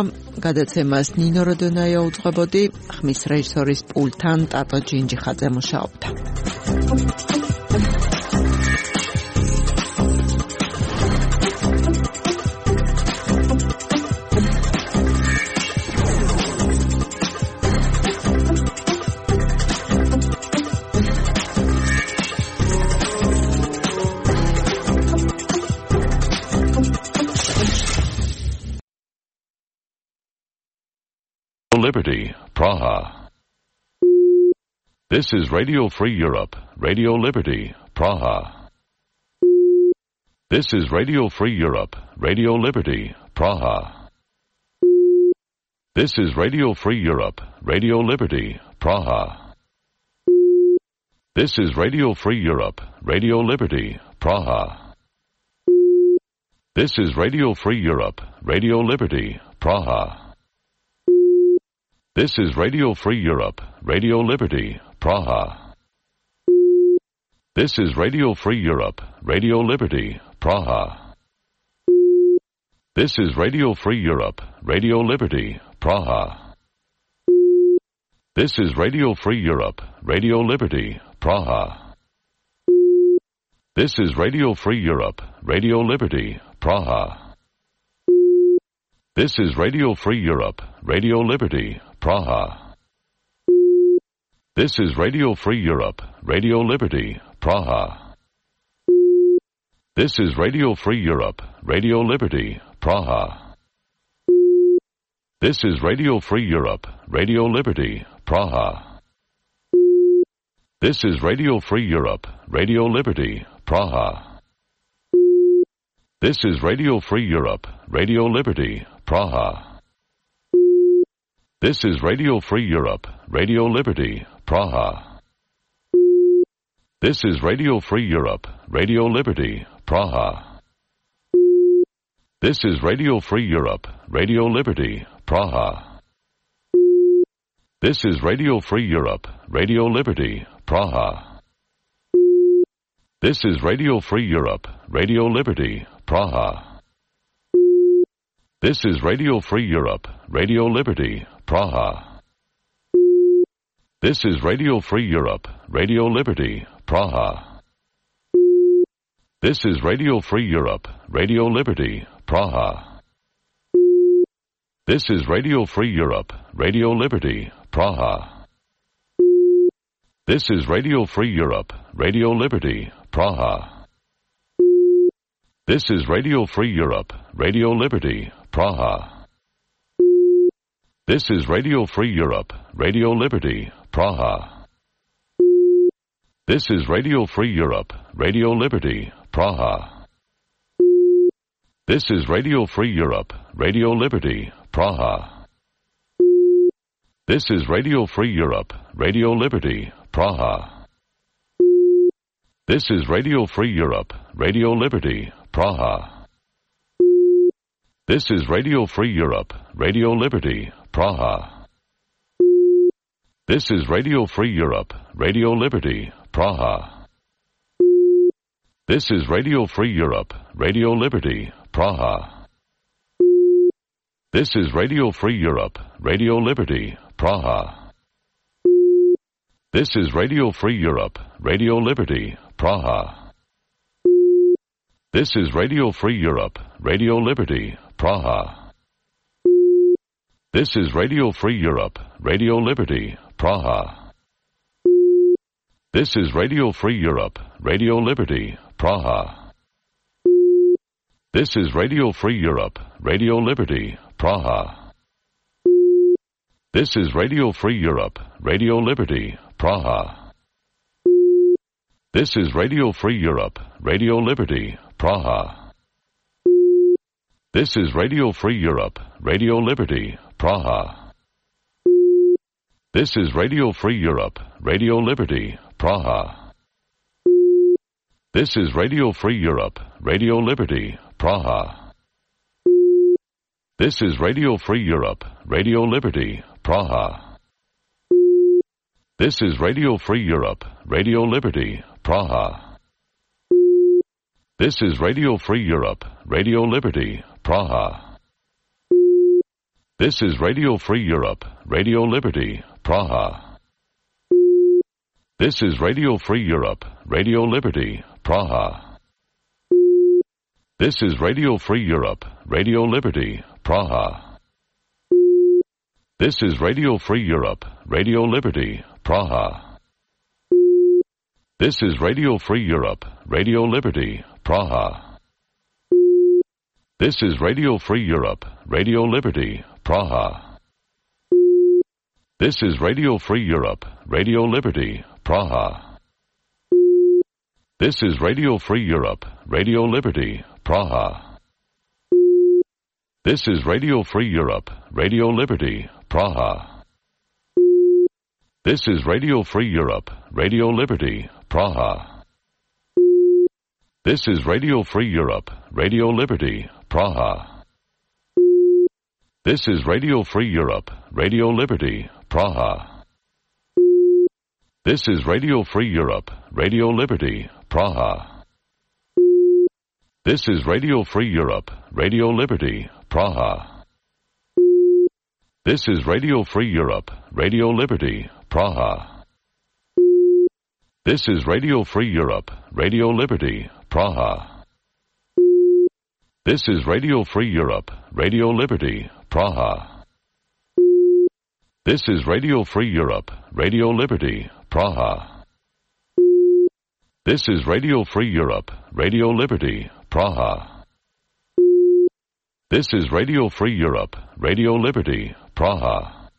გადაცემას ნინო როდონაია უძღვებოდი, ხმის რეჟისორის პულტთან ტატო ჯინჯიხაძე მუშაობდა. Liberty, Praha. This is Radio Free Europe, Radio Liberty, Praha. This is Radio Free Europe, Radio Liberty, Praha. This is Radio Free Europe, Radio Liberty, Praha. This is Radio Free Europe, Radio Liberty, Praha. This is Radio Free Europe, Radio Liberty, Praha. This is Radio Free Europe, Radio Liberty, Praha. This is Radio Free Europe, Radio Liberty, Praha. This is Radio Free Europe, Radio Liberty, Praha. This is Radio Free Europe, Radio Liberty, Praha. This is Radio Free Europe, Radio Liberty, Praha. This is Radio Free Europe, Radio Liberty, Praha. This is Radio Free Europe, Radio Liberty, Praha. This is Radio Free Europe, Radio Liberty, Praha. This is Radio Free Europe, Radio Liberty, Praha. This is Radio Free Europe, Radio Liberty, Praha. This is Radio Free Europe, Radio Liberty, Praha. This is Radio Free Europe, Radio Liberty, Praha. This is Radio Free Europe, Radio Liberty, Praha. This is Radio Free Europe, Radio Liberty, Praha. This is Radio Free Europe, Radio Liberty, Praha. This is Radio Free Europe, Radio Liberty, Praha. This is Radio Free Europe, Radio Liberty, Praha. This is Radio Free Europe, Radio Liberty, Praha. This is Radio Free Europe, Radio Liberty, Praha. This is Radio Free Europe, Radio Liberty, Praha. This is Radio Free Europe, Radio Liberty, Praha. This is Radio Free Europe, Radio Liberty, Praha. This is Radio Free Europe, Radio Liberty, Praha. This is Radio Free Europe, Radio Liberty, Praha. This is Radio Free Europe, Radio Liberty, Praha. This is Radio Free Europe, Radio Liberty, Praha. This is Radio Free Europe, Radio Liberty, Praha. This is Radio Free Europe, Radio Liberty, Praha. This is Radio Free Europe, Radio Liberty, Praha. This is Radio Free Europe, Radio Liberty, Praha. This is Radio Free Europe, Radio Liberty, Praha. This is Radio Free Europe, Radio Liberty, Praha. This is Radio Free Europe, Radio Liberty, Praha. This is Radio Free Europe, Radio Liberty, Praha. This is Radio Free Europe, Radio Liberty, Praha. This is Radio Free Europe, Radio Liberty, Praha. This is Radio Free Europe, Radio Liberty, Praha. This is Radio Free Europe, Radio Liberty, Praha. This is Radio Free Europe, Radio Liberty, Praha. This is Radio Free Europe, Radio Liberty, Praha. This is Radio Free Europe, Radio Liberty, Praha. This is Radio Free Europe, Radio Liberty, Praha. This is Radio Free Europe, Radio Liberty, Praha. This is Radio Free Europe, Radio Liberty, Praha. This is Radio Free Europe, Radio Liberty, Praha. This is Radio Free Europe, Radio Liberty, Praha. This is Radio Free Europe, Radio Liberty, Praha. This is Radio Free Europe, Radio Liberty, Praha. This is Radio Free Europe, Radio Liberty, Praha. This is Radio Free Europe, Radio Liberty, Praha. This is Radio Free Europe, Radio Liberty, Praha. This is Radio Free Europe, Radio Liberty, Praha. This is Radio Free Europe, Radio Liberty, Praha. This is Radio Free Europe, Radio Liberty, Praha. This is Radio Free Europe, Radio Liberty, Praha. This is Radio Free Europe, Radio Liberty, Praha. This is Radio Free Europe, Radio Liberty, Praha. This is Radio Free Europe, Radio Liberty, Praha. This is Radio Free Europe, Radio Liberty, Praha. This is Radio Free Europe, Radio Liberty, Praha. This is Radio Free Europe, Radio Liberty, Praha. This is Radio Free Europe, Radio Liberty, Praha. This is Radio Free Europe, Radio Liberty, Praha. This is Radio Free Europe, Radio Liberty, Praha.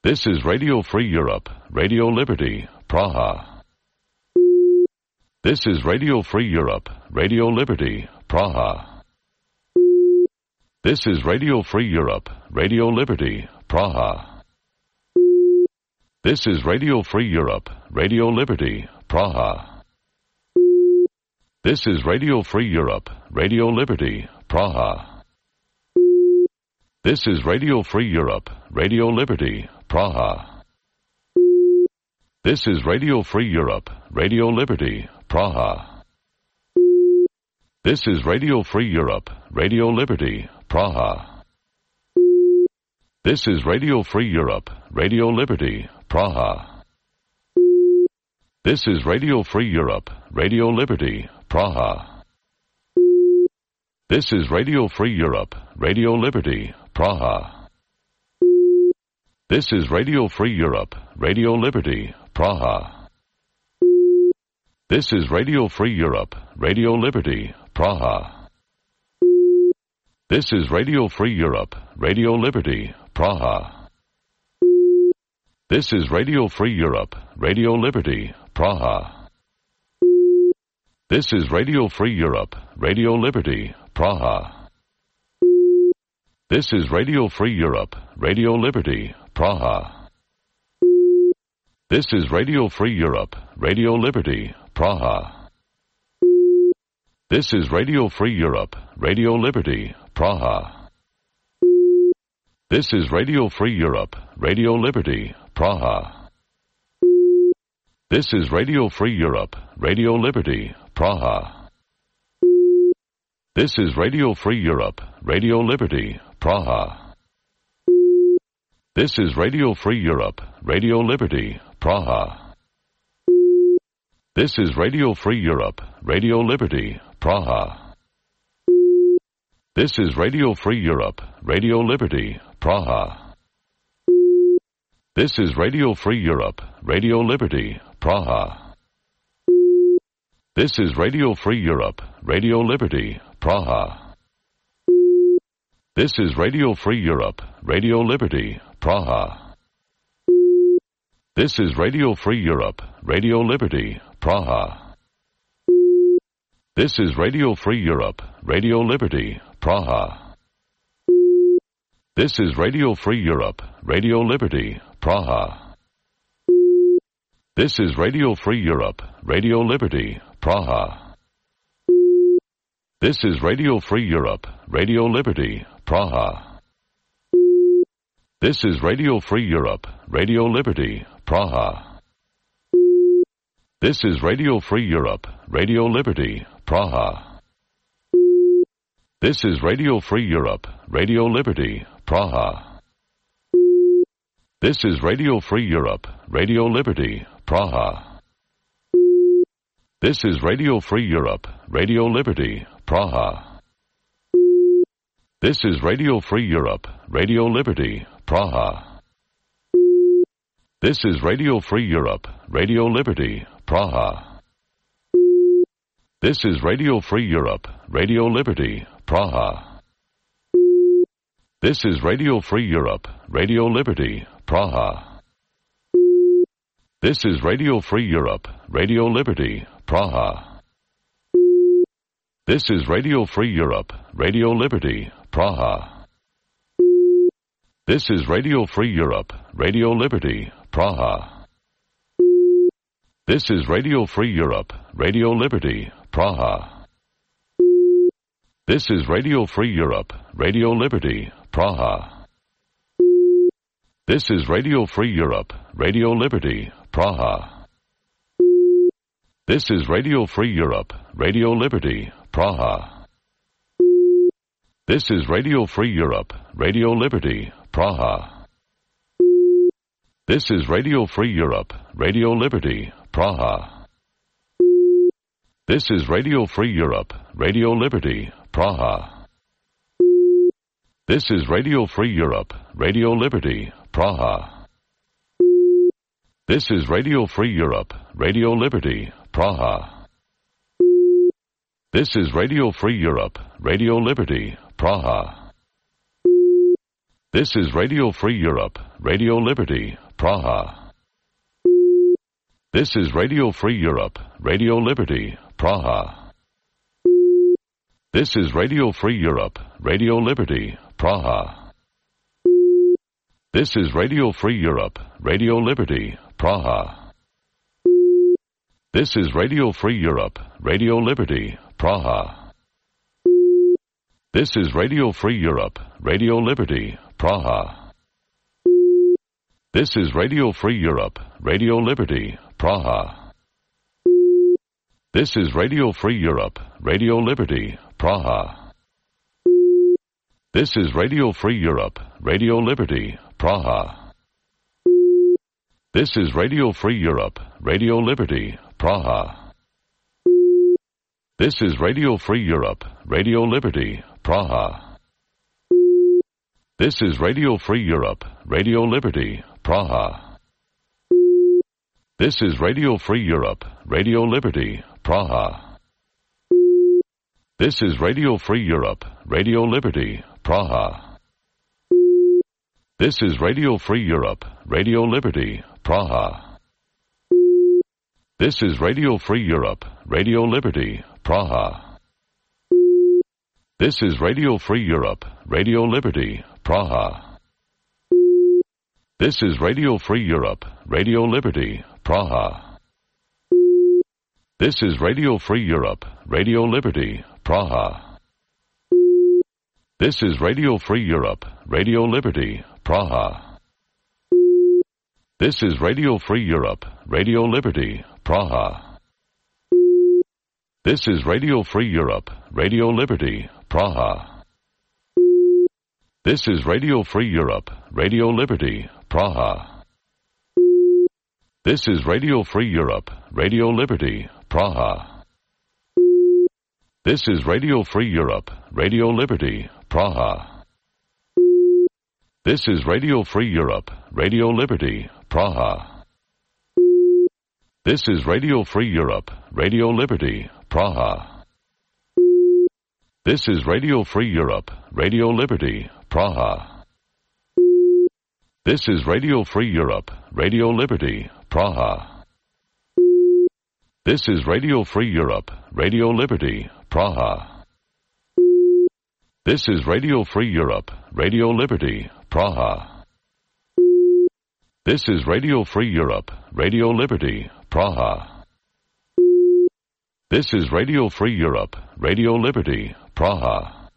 This is Radio Free Europe, Radio Liberty, Praha. This is Radio Free Europe, Radio Liberty, Praha. This is Radio Free Europe, Radio Liberty, Praha. This is Radio Free Europe, Radio Liberty, Praha. This is Radio Free Europe, Radio Liberty, Praha. This is Radio Free Europe, Radio Liberty, Praha. This is Radio Free Europe, Radio Liberty, Praha. This is Radio Free Europe, Radio Liberty, Praha. This is Radio Free Europe, Radio Liberty, Praha. This is Radio Free Europe, Radio Liberty, Praha. This is Radio Free Europe, Radio Liberty, Praha. This is Radio Free Europe, Radio Liberty, Praha. This is Radio Free Europe, Radio Liberty, Praha. This is Radio Free Europe, Radio Liberty, Praha. This is Radio Free Europe, Radio Liberty, Praha. This is Radio Free Europe, Radio Liberty, Praha. This is Radio Free Europe, Radio Liberty, Praha. This is Radio Free Europe, Radio Liberty, Praha. This is Radio Free Europe, Radio Liberty, Praha. This is Radio Free Europe, Radio Liberty, Praha. This is Radio Free Europe, Radio Liberty, Praha. This is Radio Free Europe, Radio Liberty, Praha. This is Radio Free Europe, Radio Liberty, Praha. This is Radio Free Europe, Radio Liberty, Praha. This is Radio Free Europe, Radio Liberty, Praha. This is Radio Free Europe, Radio Liberty, Praha. This is Radio Free Europe, Radio Liberty, Praha. This is Radio Free Europe, Radio Liberty, Praha. This is Radio Free Europe, Radio Liberty, Praha. This is Radio Free Europe, Radio Liberty, Praha. This is Radio Free Europe, Radio Liberty, Praha. This is Radio Free Europe, Radio Liberty, Praha. This is Radio Free Europe, Radio Liberty, Praha. This is Radio Free Europe, Radio Liberty, Praha. This is Radio Free Europe, Radio Liberty, Praha. This is Radio Free Europe, Radio Liberty, Praha. This is Radio Free Europe, Radio Liberty, Praha. This is Radio Free Europe, Radio Liberty, Praha. This is Radio Free Europe, Radio Liberty, Praha. This is Radio Free Europe, Radio Liberty, Praha. This is Radio Free Europe, Radio Liberty, Praha. This is Radio Free Europe, Radio Liberty, Praha. This is Radio Free Europe, Radio Liberty, Praha. This is Radio Free Europe, Radio Liberty, Praha. This is Radio Free Europe, Radio Liberty, Praha. This is Radio Free Europe, Radio Liberty, Praha. This is Radio Free Europe, Radio Liberty, Praha. This is Radio Free Europe, Radio Liberty, Praha. This is Radio Free Europe, Radio Liberty, Praha. This is Radio Free Europe, Radio Liberty, Praha. This is Radio Free Europe, Radio Liberty, Praha. This is Radio Free Europe, Radio Liberty, Praha. This is Radio Free Europe, Radio Liberty, Praha. This is Radio Free Europe, Radio Liberty, Praha. This is Radio Free Europe, Radio Liberty, Praha. This is Radio Free Europe, Radio Liberty, Praha. This is Radio Free Europe, Radio Liberty, Praha. This is Radio Free Europe, Radio Liberty, Praha. This is Radio Free Europe, Radio Liberty, Praha. This is Radio Free Europe, Radio Liberty, Praha. This is Radio Free Europe, Radio Liberty, Praha. This is Radio Free Europe, Radio Liberty, Praha. This is Radio Free Europe, Radio Liberty, Praha. This is Radio Free Europe, Radio Liberty, Praha. This is Radio Free Europe, Radio Liberty, Praha. This is Radio Free Europe, Radio Liberty, Praha. This is Radio Free Europe, Radio Liberty, Praha. This is Radio Free Europe, Radio Liberty, Praha. This is Radio Free Europe, Radio Liberty, Praha. This is Radio Free Europe, Radio Liberty, Praha. This is Radio Free Europe, Radio Liberty, Praha. This is Radio Free Europe, Radio Liberty, Praha. This is Radio Free Europe, Radio Liberty, Praha. This is Radio Free Europe, Radio Liberty, Praha. This is Radio Free Europe, Radio Liberty, Praha. This is Radio Free Europe, Radio Liberty, Praha. This is Radio Free Europe, Radio Liberty, Praha. This is Radio Free Europe, Radio Liberty, Praha. This is Radio Free Europe, Radio Liberty, Praha. This is Radio Free Europe, Radio Liberty, Praha. This is Radio Free Europe, Radio Liberty, Praha. This is Radio Free Europe, Radio Liberty, Praha. This is Radio Free Europe, Radio Liberty, Praha. This is Radio Free Europe, Radio Liberty, Praha. This is Radio Free Europe, Radio Liberty, Praha. This is Radio Free Europe, Radio Liberty, Praha. This is Radio Free Europe, Radio Liberty, Praha. This is Radio Free Europe, Radio Liberty, Praha.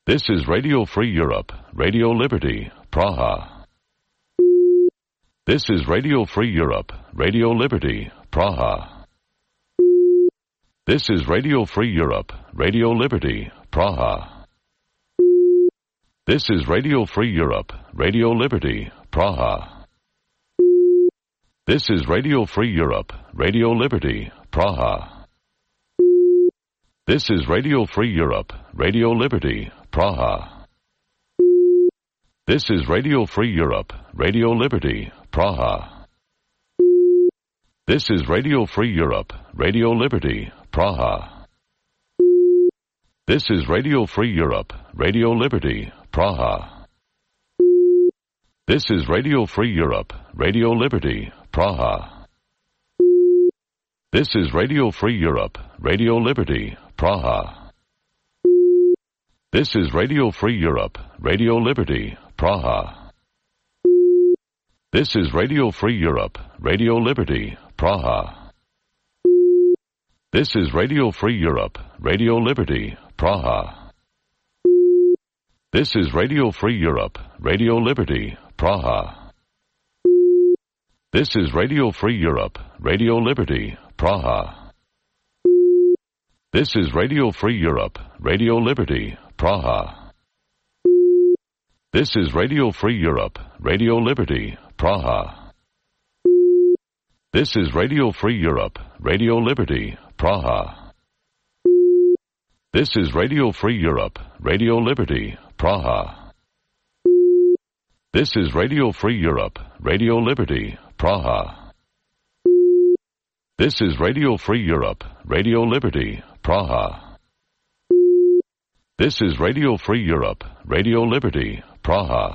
This is Radio Free Europe, Radio Liberty, Praha. This is Radio Free Europe, Radio Liberty, Praha. This is Radio Free Europe, Radio Liberty, Praha. This is Radio Free Europe, Radio Liberty, Praha. This is Radio Free Europe, Radio Liberty, Praha. This is Radio Free Europe, Radio Liberty, Praha. This is Radio Free Europe, Radio Liberty, Praha. This is Radio Free Europe, Radio Liberty, Praha. This is Radio Free Europe, Radio Liberty, Praha. This is Radio Free Europe, Radio Liberty, Praha. This is Radio Free Europe, Radio Liberty, Praha. This is Radio Free Europe, Radio Liberty, Praha. This is Radio Free Europe, Radio Liberty, Praha. This is Radio Free Europe, Radio Liberty, Praha. This is Radio Free Europe, Radio Liberty, Praha. This is Radio Free Europe, Radio Liberty, Praha. This is Radio Free Europe, Radio Liberty, Praha. This is Radio Free Europe, Radio Liberty, Praha. This is Radio Free Europe, Radio Liberty, Praha. This is Radio Free Europe, Radio Liberty, Praha. This is Radio Free Europe, Radio Liberty, Praha. This is Radio Free Europe, Radio Liberty, Praha. This is Radio Free Europe, Radio Liberty, Praha.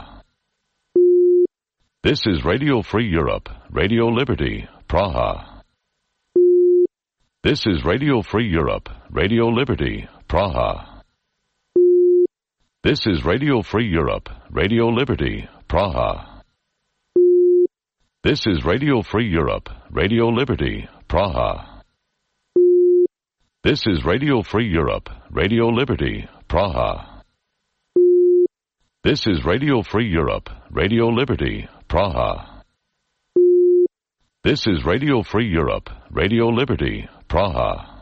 This is Radio Free Europe, Radio Liberty, Praha. This is Radio Free Europe, Radio Liberty, Praha. This is Radio Free Europe, Radio Liberty, Praha. This is Radio Free Europe, Radio Liberty, Praha. This is Radio Free Europe, Radio Liberty, Praha. This is Radio Free Europe, Radio Liberty, Praha. This is Radio Free Europe, Radio Liberty, Praha.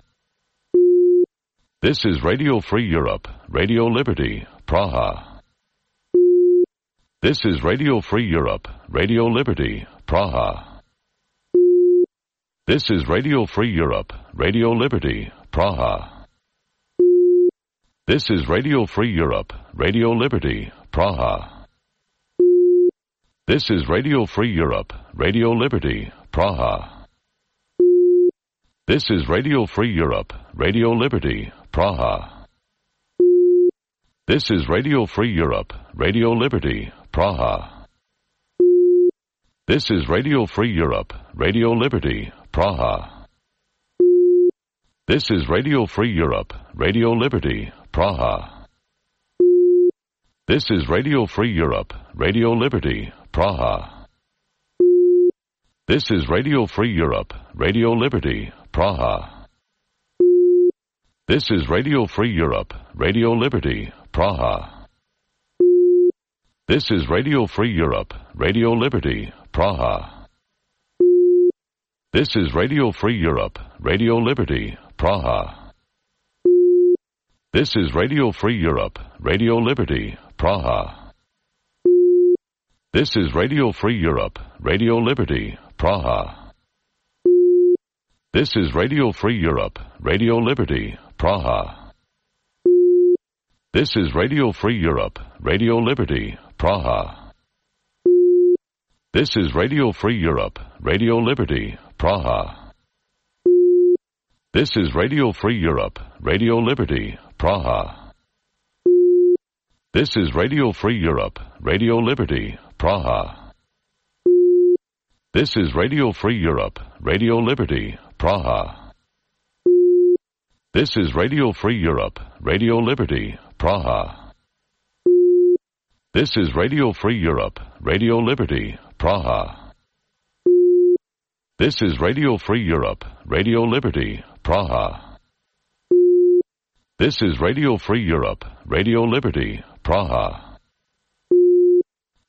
This is Radio Free Europe, Radio Liberty, Praha. This is Radio Free Europe, Radio Liberty, Praha. This is Radio Free Europe, Radio Liberty, Praha. This is Radio Free Europe, Radio Liberty, Praha. This is Radio Free Europe, Radio Liberty, Praha. This is Radio Free Europe, Radio Liberty, Praha. This is Radio Free Europe, Radio Liberty, Praha. This is Radio Free Europe, Radio Liberty, Praha. This is Radio Free Europe, Radio Liberty, Praha. This is Radio Free Europe, Radio Liberty, Praha. This is Radio Free Europe, Radio Liberty, Praha. This is Radio Free Europe, Radio Liberty, Praha. This is Radio Free Europe, Radio Liberty, Praha. This is Radio Free Europe, Radio Liberty, Praha. This is Radio Free Europe, Radio Liberty, Praha. This is Radio Free Europe, Radio Liberty, Praha. This is Radio Free Europe, Radio Liberty, Praha. This is Radio Free Europe, Radio Liberty, Praha. This is Radio Free Europe, Radio Liberty, Praha. This is Radio Free Europe, Radio Liberty, Praha. This is Radio Free Europe, Radio Liberty, Praha. This is Radio Free Europe, Radio Liberty, Praha. This is Radio Free Europe, Radio Liberty, Praha. This is Radio Free Europe, Radio Liberty, Praha. This is Radio Free Europe, Radio Liberty, Praha. This is Radio Free Europe, Radio Liberty, Praha.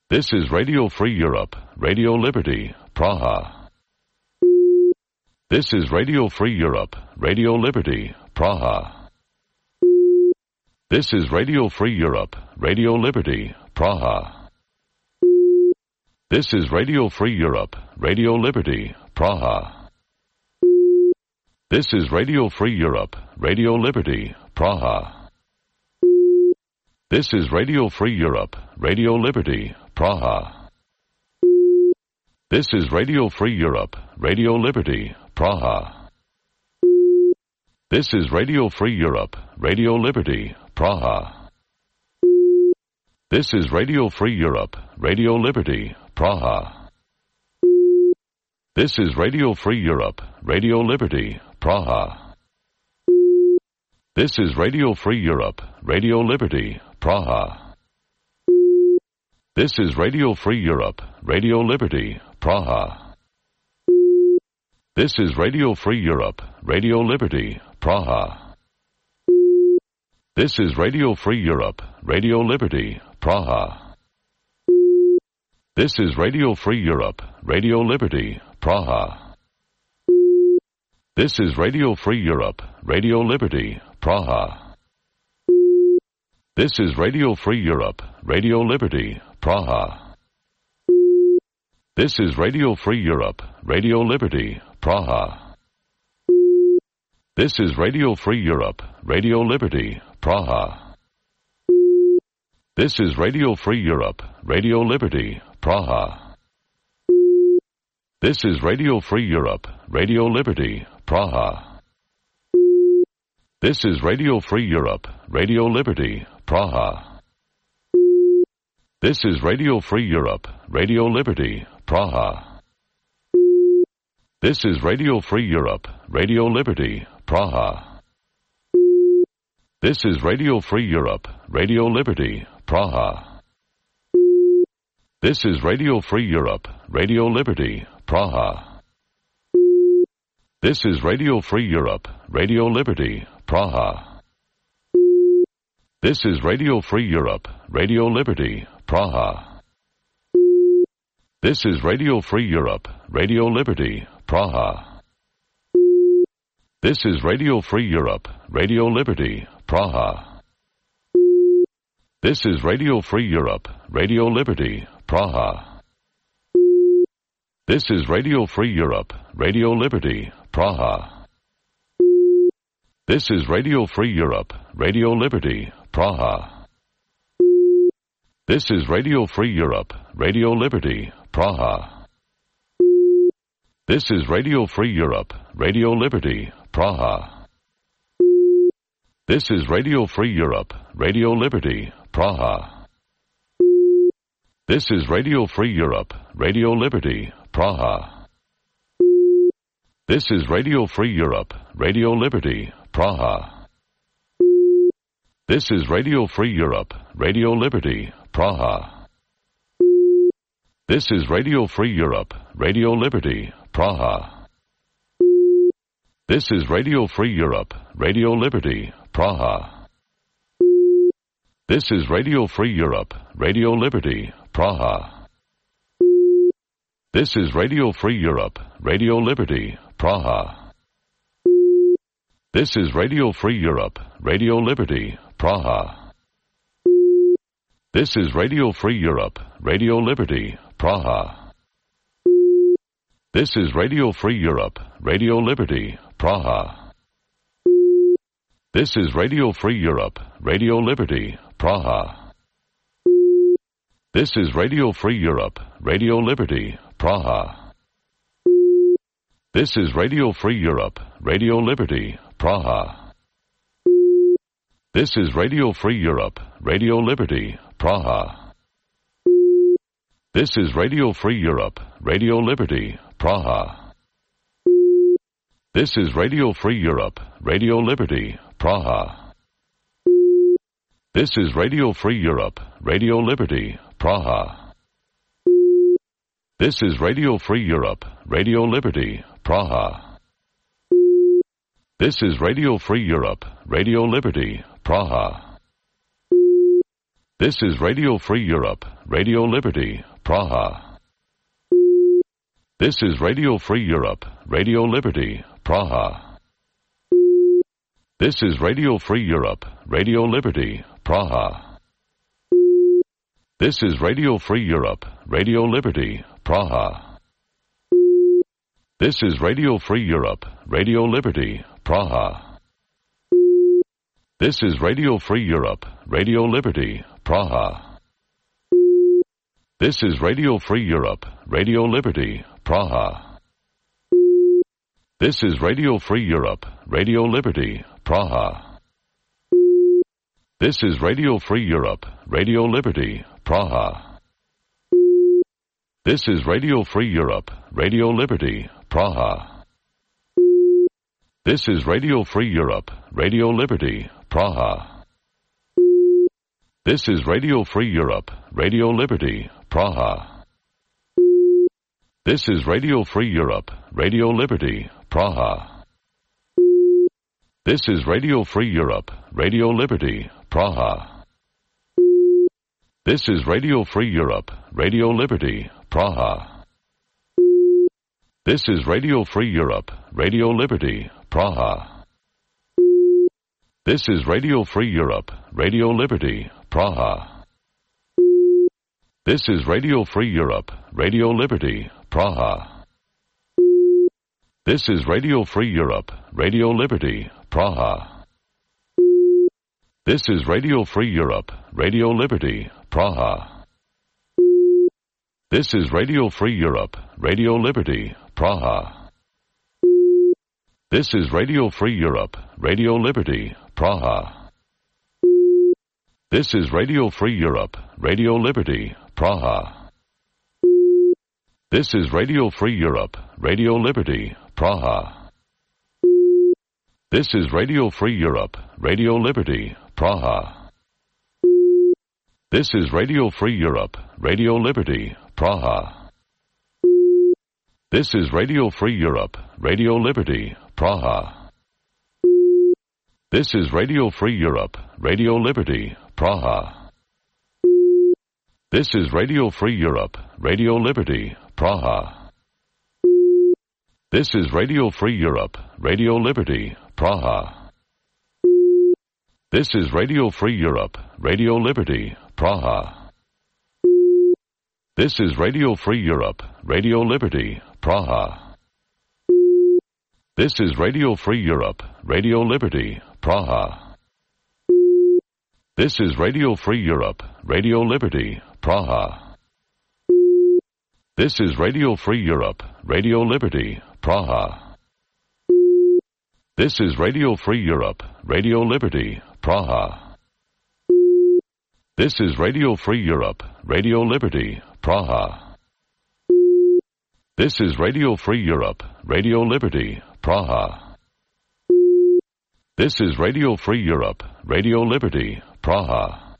This is Radio Free Europe, Radio Liberty, Praha. This is Radio Free Europe, Radio Liberty, Praha. This is Radio Free Europe, Radio Liberty, Praha. This is Radio Free Europe, Radio Liberty, Praha. This is Radio Free Europe, Radio Liberty, Praha. This is Radio Free Europe, Radio Liberty, Praha. This is Radio Free Europe, Radio Liberty, Praha. This is Radio Free Europe, Radio Liberty, Praha. This is Radio Free Europe, Radio Liberty, Praha. This is Radio Free Europe, Radio Liberty, Praha. This is Radio Free Europe, Radio Liberty, Praha. This is Radio Free Europe, Radio Liberty, Praha. This is Radio Free Europe, Radio Liberty, Praha. This is Radio Free Europe, Radio Liberty, Praha. This is Radio Free Europe, Radio Liberty, Praha. This is Radio Free Europe, Radio Liberty, Praha. This is Radio Free Europe, Radio Liberty, Praha. This is Radio Free Europe, Radio Liberty, Praha. This is Radio Free Europe, Radio Liberty, Praha. This is Radio Free Europe, Radio Liberty, Praha. This is Radio Free Europe, Radio Liberty, Praha. This is Radio Free Europe, Radio Liberty, Praha. This is Radio Free Europe, Radio Liberty, Praha. This is Radio Free Europe, Radio Liberty, Praha. This is Radio Free Europe, Radio Liberty, Praha. This is Radio Free Europe, Radio Liberty, Praha. This is Radio Free Europe, Radio Liberty, Praha. This is Radio Free Europe, Radio Liberty, Praha. This is Radio Free Europe, Radio Liberty, Praha. This is Radio Free Europe, Radio Liberty, Praha. This is Radio Free Europe, Radio Liberty, Praha. This is Radio Free Europe, Radio Liberty, Praha. This is Radio Free Europe, Radio Liberty, Praha. This is Radio Free Europe, Radio Liberty, Praha. This is Radio Free Europe, Radio Liberty, Praha. This is Radio Free Europe, Radio Liberty, Praha. This is Radio Free Europe, Radio Liberty, Praha. This is Radio Free Europe, Radio Liberty, Praha. This is Radio Free Europe, Radio Liberty, Praha. This is Radio Free Europe, Radio Liberty, Praha. This is Radio Free Europe, Radio Liberty, Praha. This is Radio Free Europe, Radio Liberty, Praha. This is Radio Free Europe, Radio Liberty, Praha. This is Radio Free Europe, Radio Liberty, Praha. This is Radio Free Europe, Radio Liberty, Praha. This is Radio Free Europe, Radio Liberty, Praha. This is Radio Free Europe, Radio Liberty, Praha. This is Radio Free Europe, Radio Liberty, Praha. This is Radio Free Europe, Radio Liberty, Praha. This is Radio Free Europe, Radio Liberty, Praha. This is Radio Free Europe, Radio Liberty, Praha. This is Radio Free Europe, Radio Liberty, Praha. This is Radio Free Europe, Radio Liberty, Praha. This is Radio Free Europe, Radio Liberty, Praha. This is Radio Free Europe, Radio Liberty, Praha. This is Radio Free Europe, Radio Liberty, Praha. This is Radio Free Europe, Radio Liberty, Praha. This is Radio Free Europe, Radio Liberty, Praha. This is Radio Free Europe, Radio Liberty, Praha. This is Radio Free Europe, Radio Liberty, Praha. This is Radio Free Europe, Radio Liberty, Praha. This is Radio Free Europe, Radio Liberty, Praha. This is Radio Free Europe, Radio Liberty, Praha. This is Radio Free Europe, Radio Liberty, Praha. This is Radio Free Europe, Radio Liberty, Praha. This is Radio Free Europe, Radio Liberty, Praha. This is Radio Free Europe, Radio Liberty, Praha. This is Radio Free Europe, Radio Liberty, Praha. This is Radio Free Europe, Radio Liberty, Praha. This is Radio Free Europe, Radio Liberty, Praha. This is Radio Free Europe, Radio Liberty, Praha. This is Radio Free Europe, Radio Liberty, Praha. This is Radio Free Europe, Radio Liberty, Praha. This is Radio Free Europe, Radio Liberty, Praha. This is Radio Free Europe, Radio Liberty, Praha. This is Radio Free Europe, Radio Liberty, Praha. This is Radio Free Europe, Radio Liberty, Praha. This is Radio Free Europe, Radio Liberty, Praha. This is Radio Free Europe, Radio Liberty, Praha. This is Radio Free Europe, Radio Liberty, Praha. This is Radio Free Europe, Radio Liberty, Praha. This is Radio Free Europe, Radio Liberty, Praha. This is Radio Free Europe, Radio Liberty, Praha. This is Radio Free Europe, Radio Liberty, Praha. This is Radio Free Europe, Radio Liberty, Praha. This is Radio Free Europe, Radio Liberty, Praha. This is Radio Free Europe, Radio Liberty, Praha. This is Radio Free Europe, Radio Liberty, Praha. This is Radio Free Europe, Radio Liberty, Praha. This is Radio Free Europe, Radio Liberty, Praha. This is Radio Free Europe, Radio Liberty, Praha. This is Radio Free Europe, Radio Liberty, Praha. This is Radio Free Europe, Radio Liberty, Praha. This is Radio Free Europe, Radio Liberty, Praha.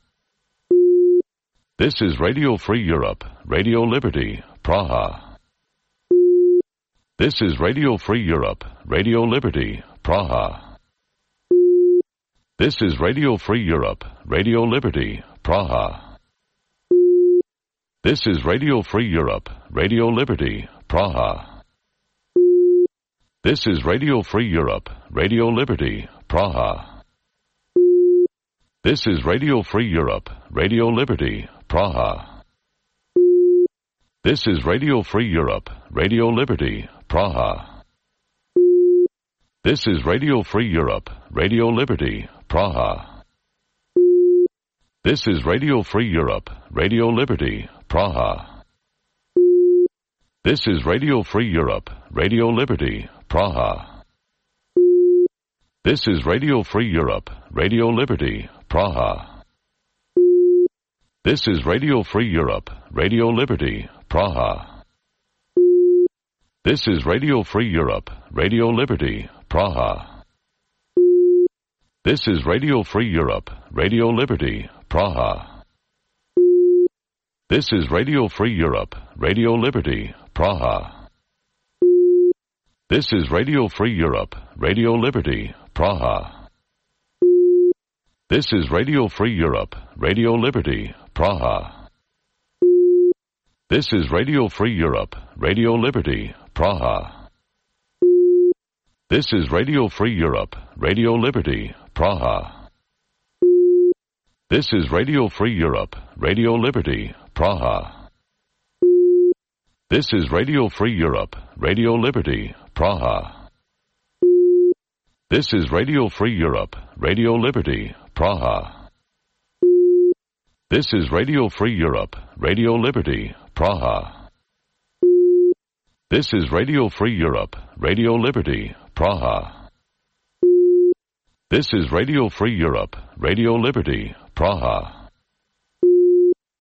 This is Radio Free Europe, Radio Liberty, Praha. This is Radio Free Europe, Radio Liberty, Praha. This is Radio Free Europe, Radio Liberty, Praha. This is Radio Free Europe, Radio Liberty, Praha. This is Radio Free Europe, Radio Liberty, Praha. This is Radio Free Europe, Radio Liberty, Praha. This is Radio Free Europe, Radio Liberty, Praha. This is Radio Free Europe, Radio Liberty, Praha. This is Radio Free Europe, Radio Liberty, Praha. This is Radio Free Europe, Radio Liberty, Praha. This is Radio Free Europe, Radio Liberty, Praha. This is Radio Free Europe, Radio Liberty, Praha. This is Radio Free Europe, Radio Liberty, Praha. This is Radio Free Europe, Radio Liberty, Praha. This is Radio Free Europe, Radio Liberty, Praha. This is Radio Free Europe, Radio Liberty, Praha. This is Radio Free Europe, Radio Liberty, Praha. This is Radio Free Europe, Radio Liberty, Praha. This is Radio Free Europe, Radio Liberty, Praha. This is Radio Free Europe, Radio Liberty, Praha. This is Radio Free Europe, Radio Liberty, Praha. This is Radio Free Europe, Radio Liberty, Praha. This is Radio Free Europe, Radio Liberty, Praha. This is Radio Free Europe, Radio Liberty, Praha. This is Radio Free Europe, Radio Liberty, Praha.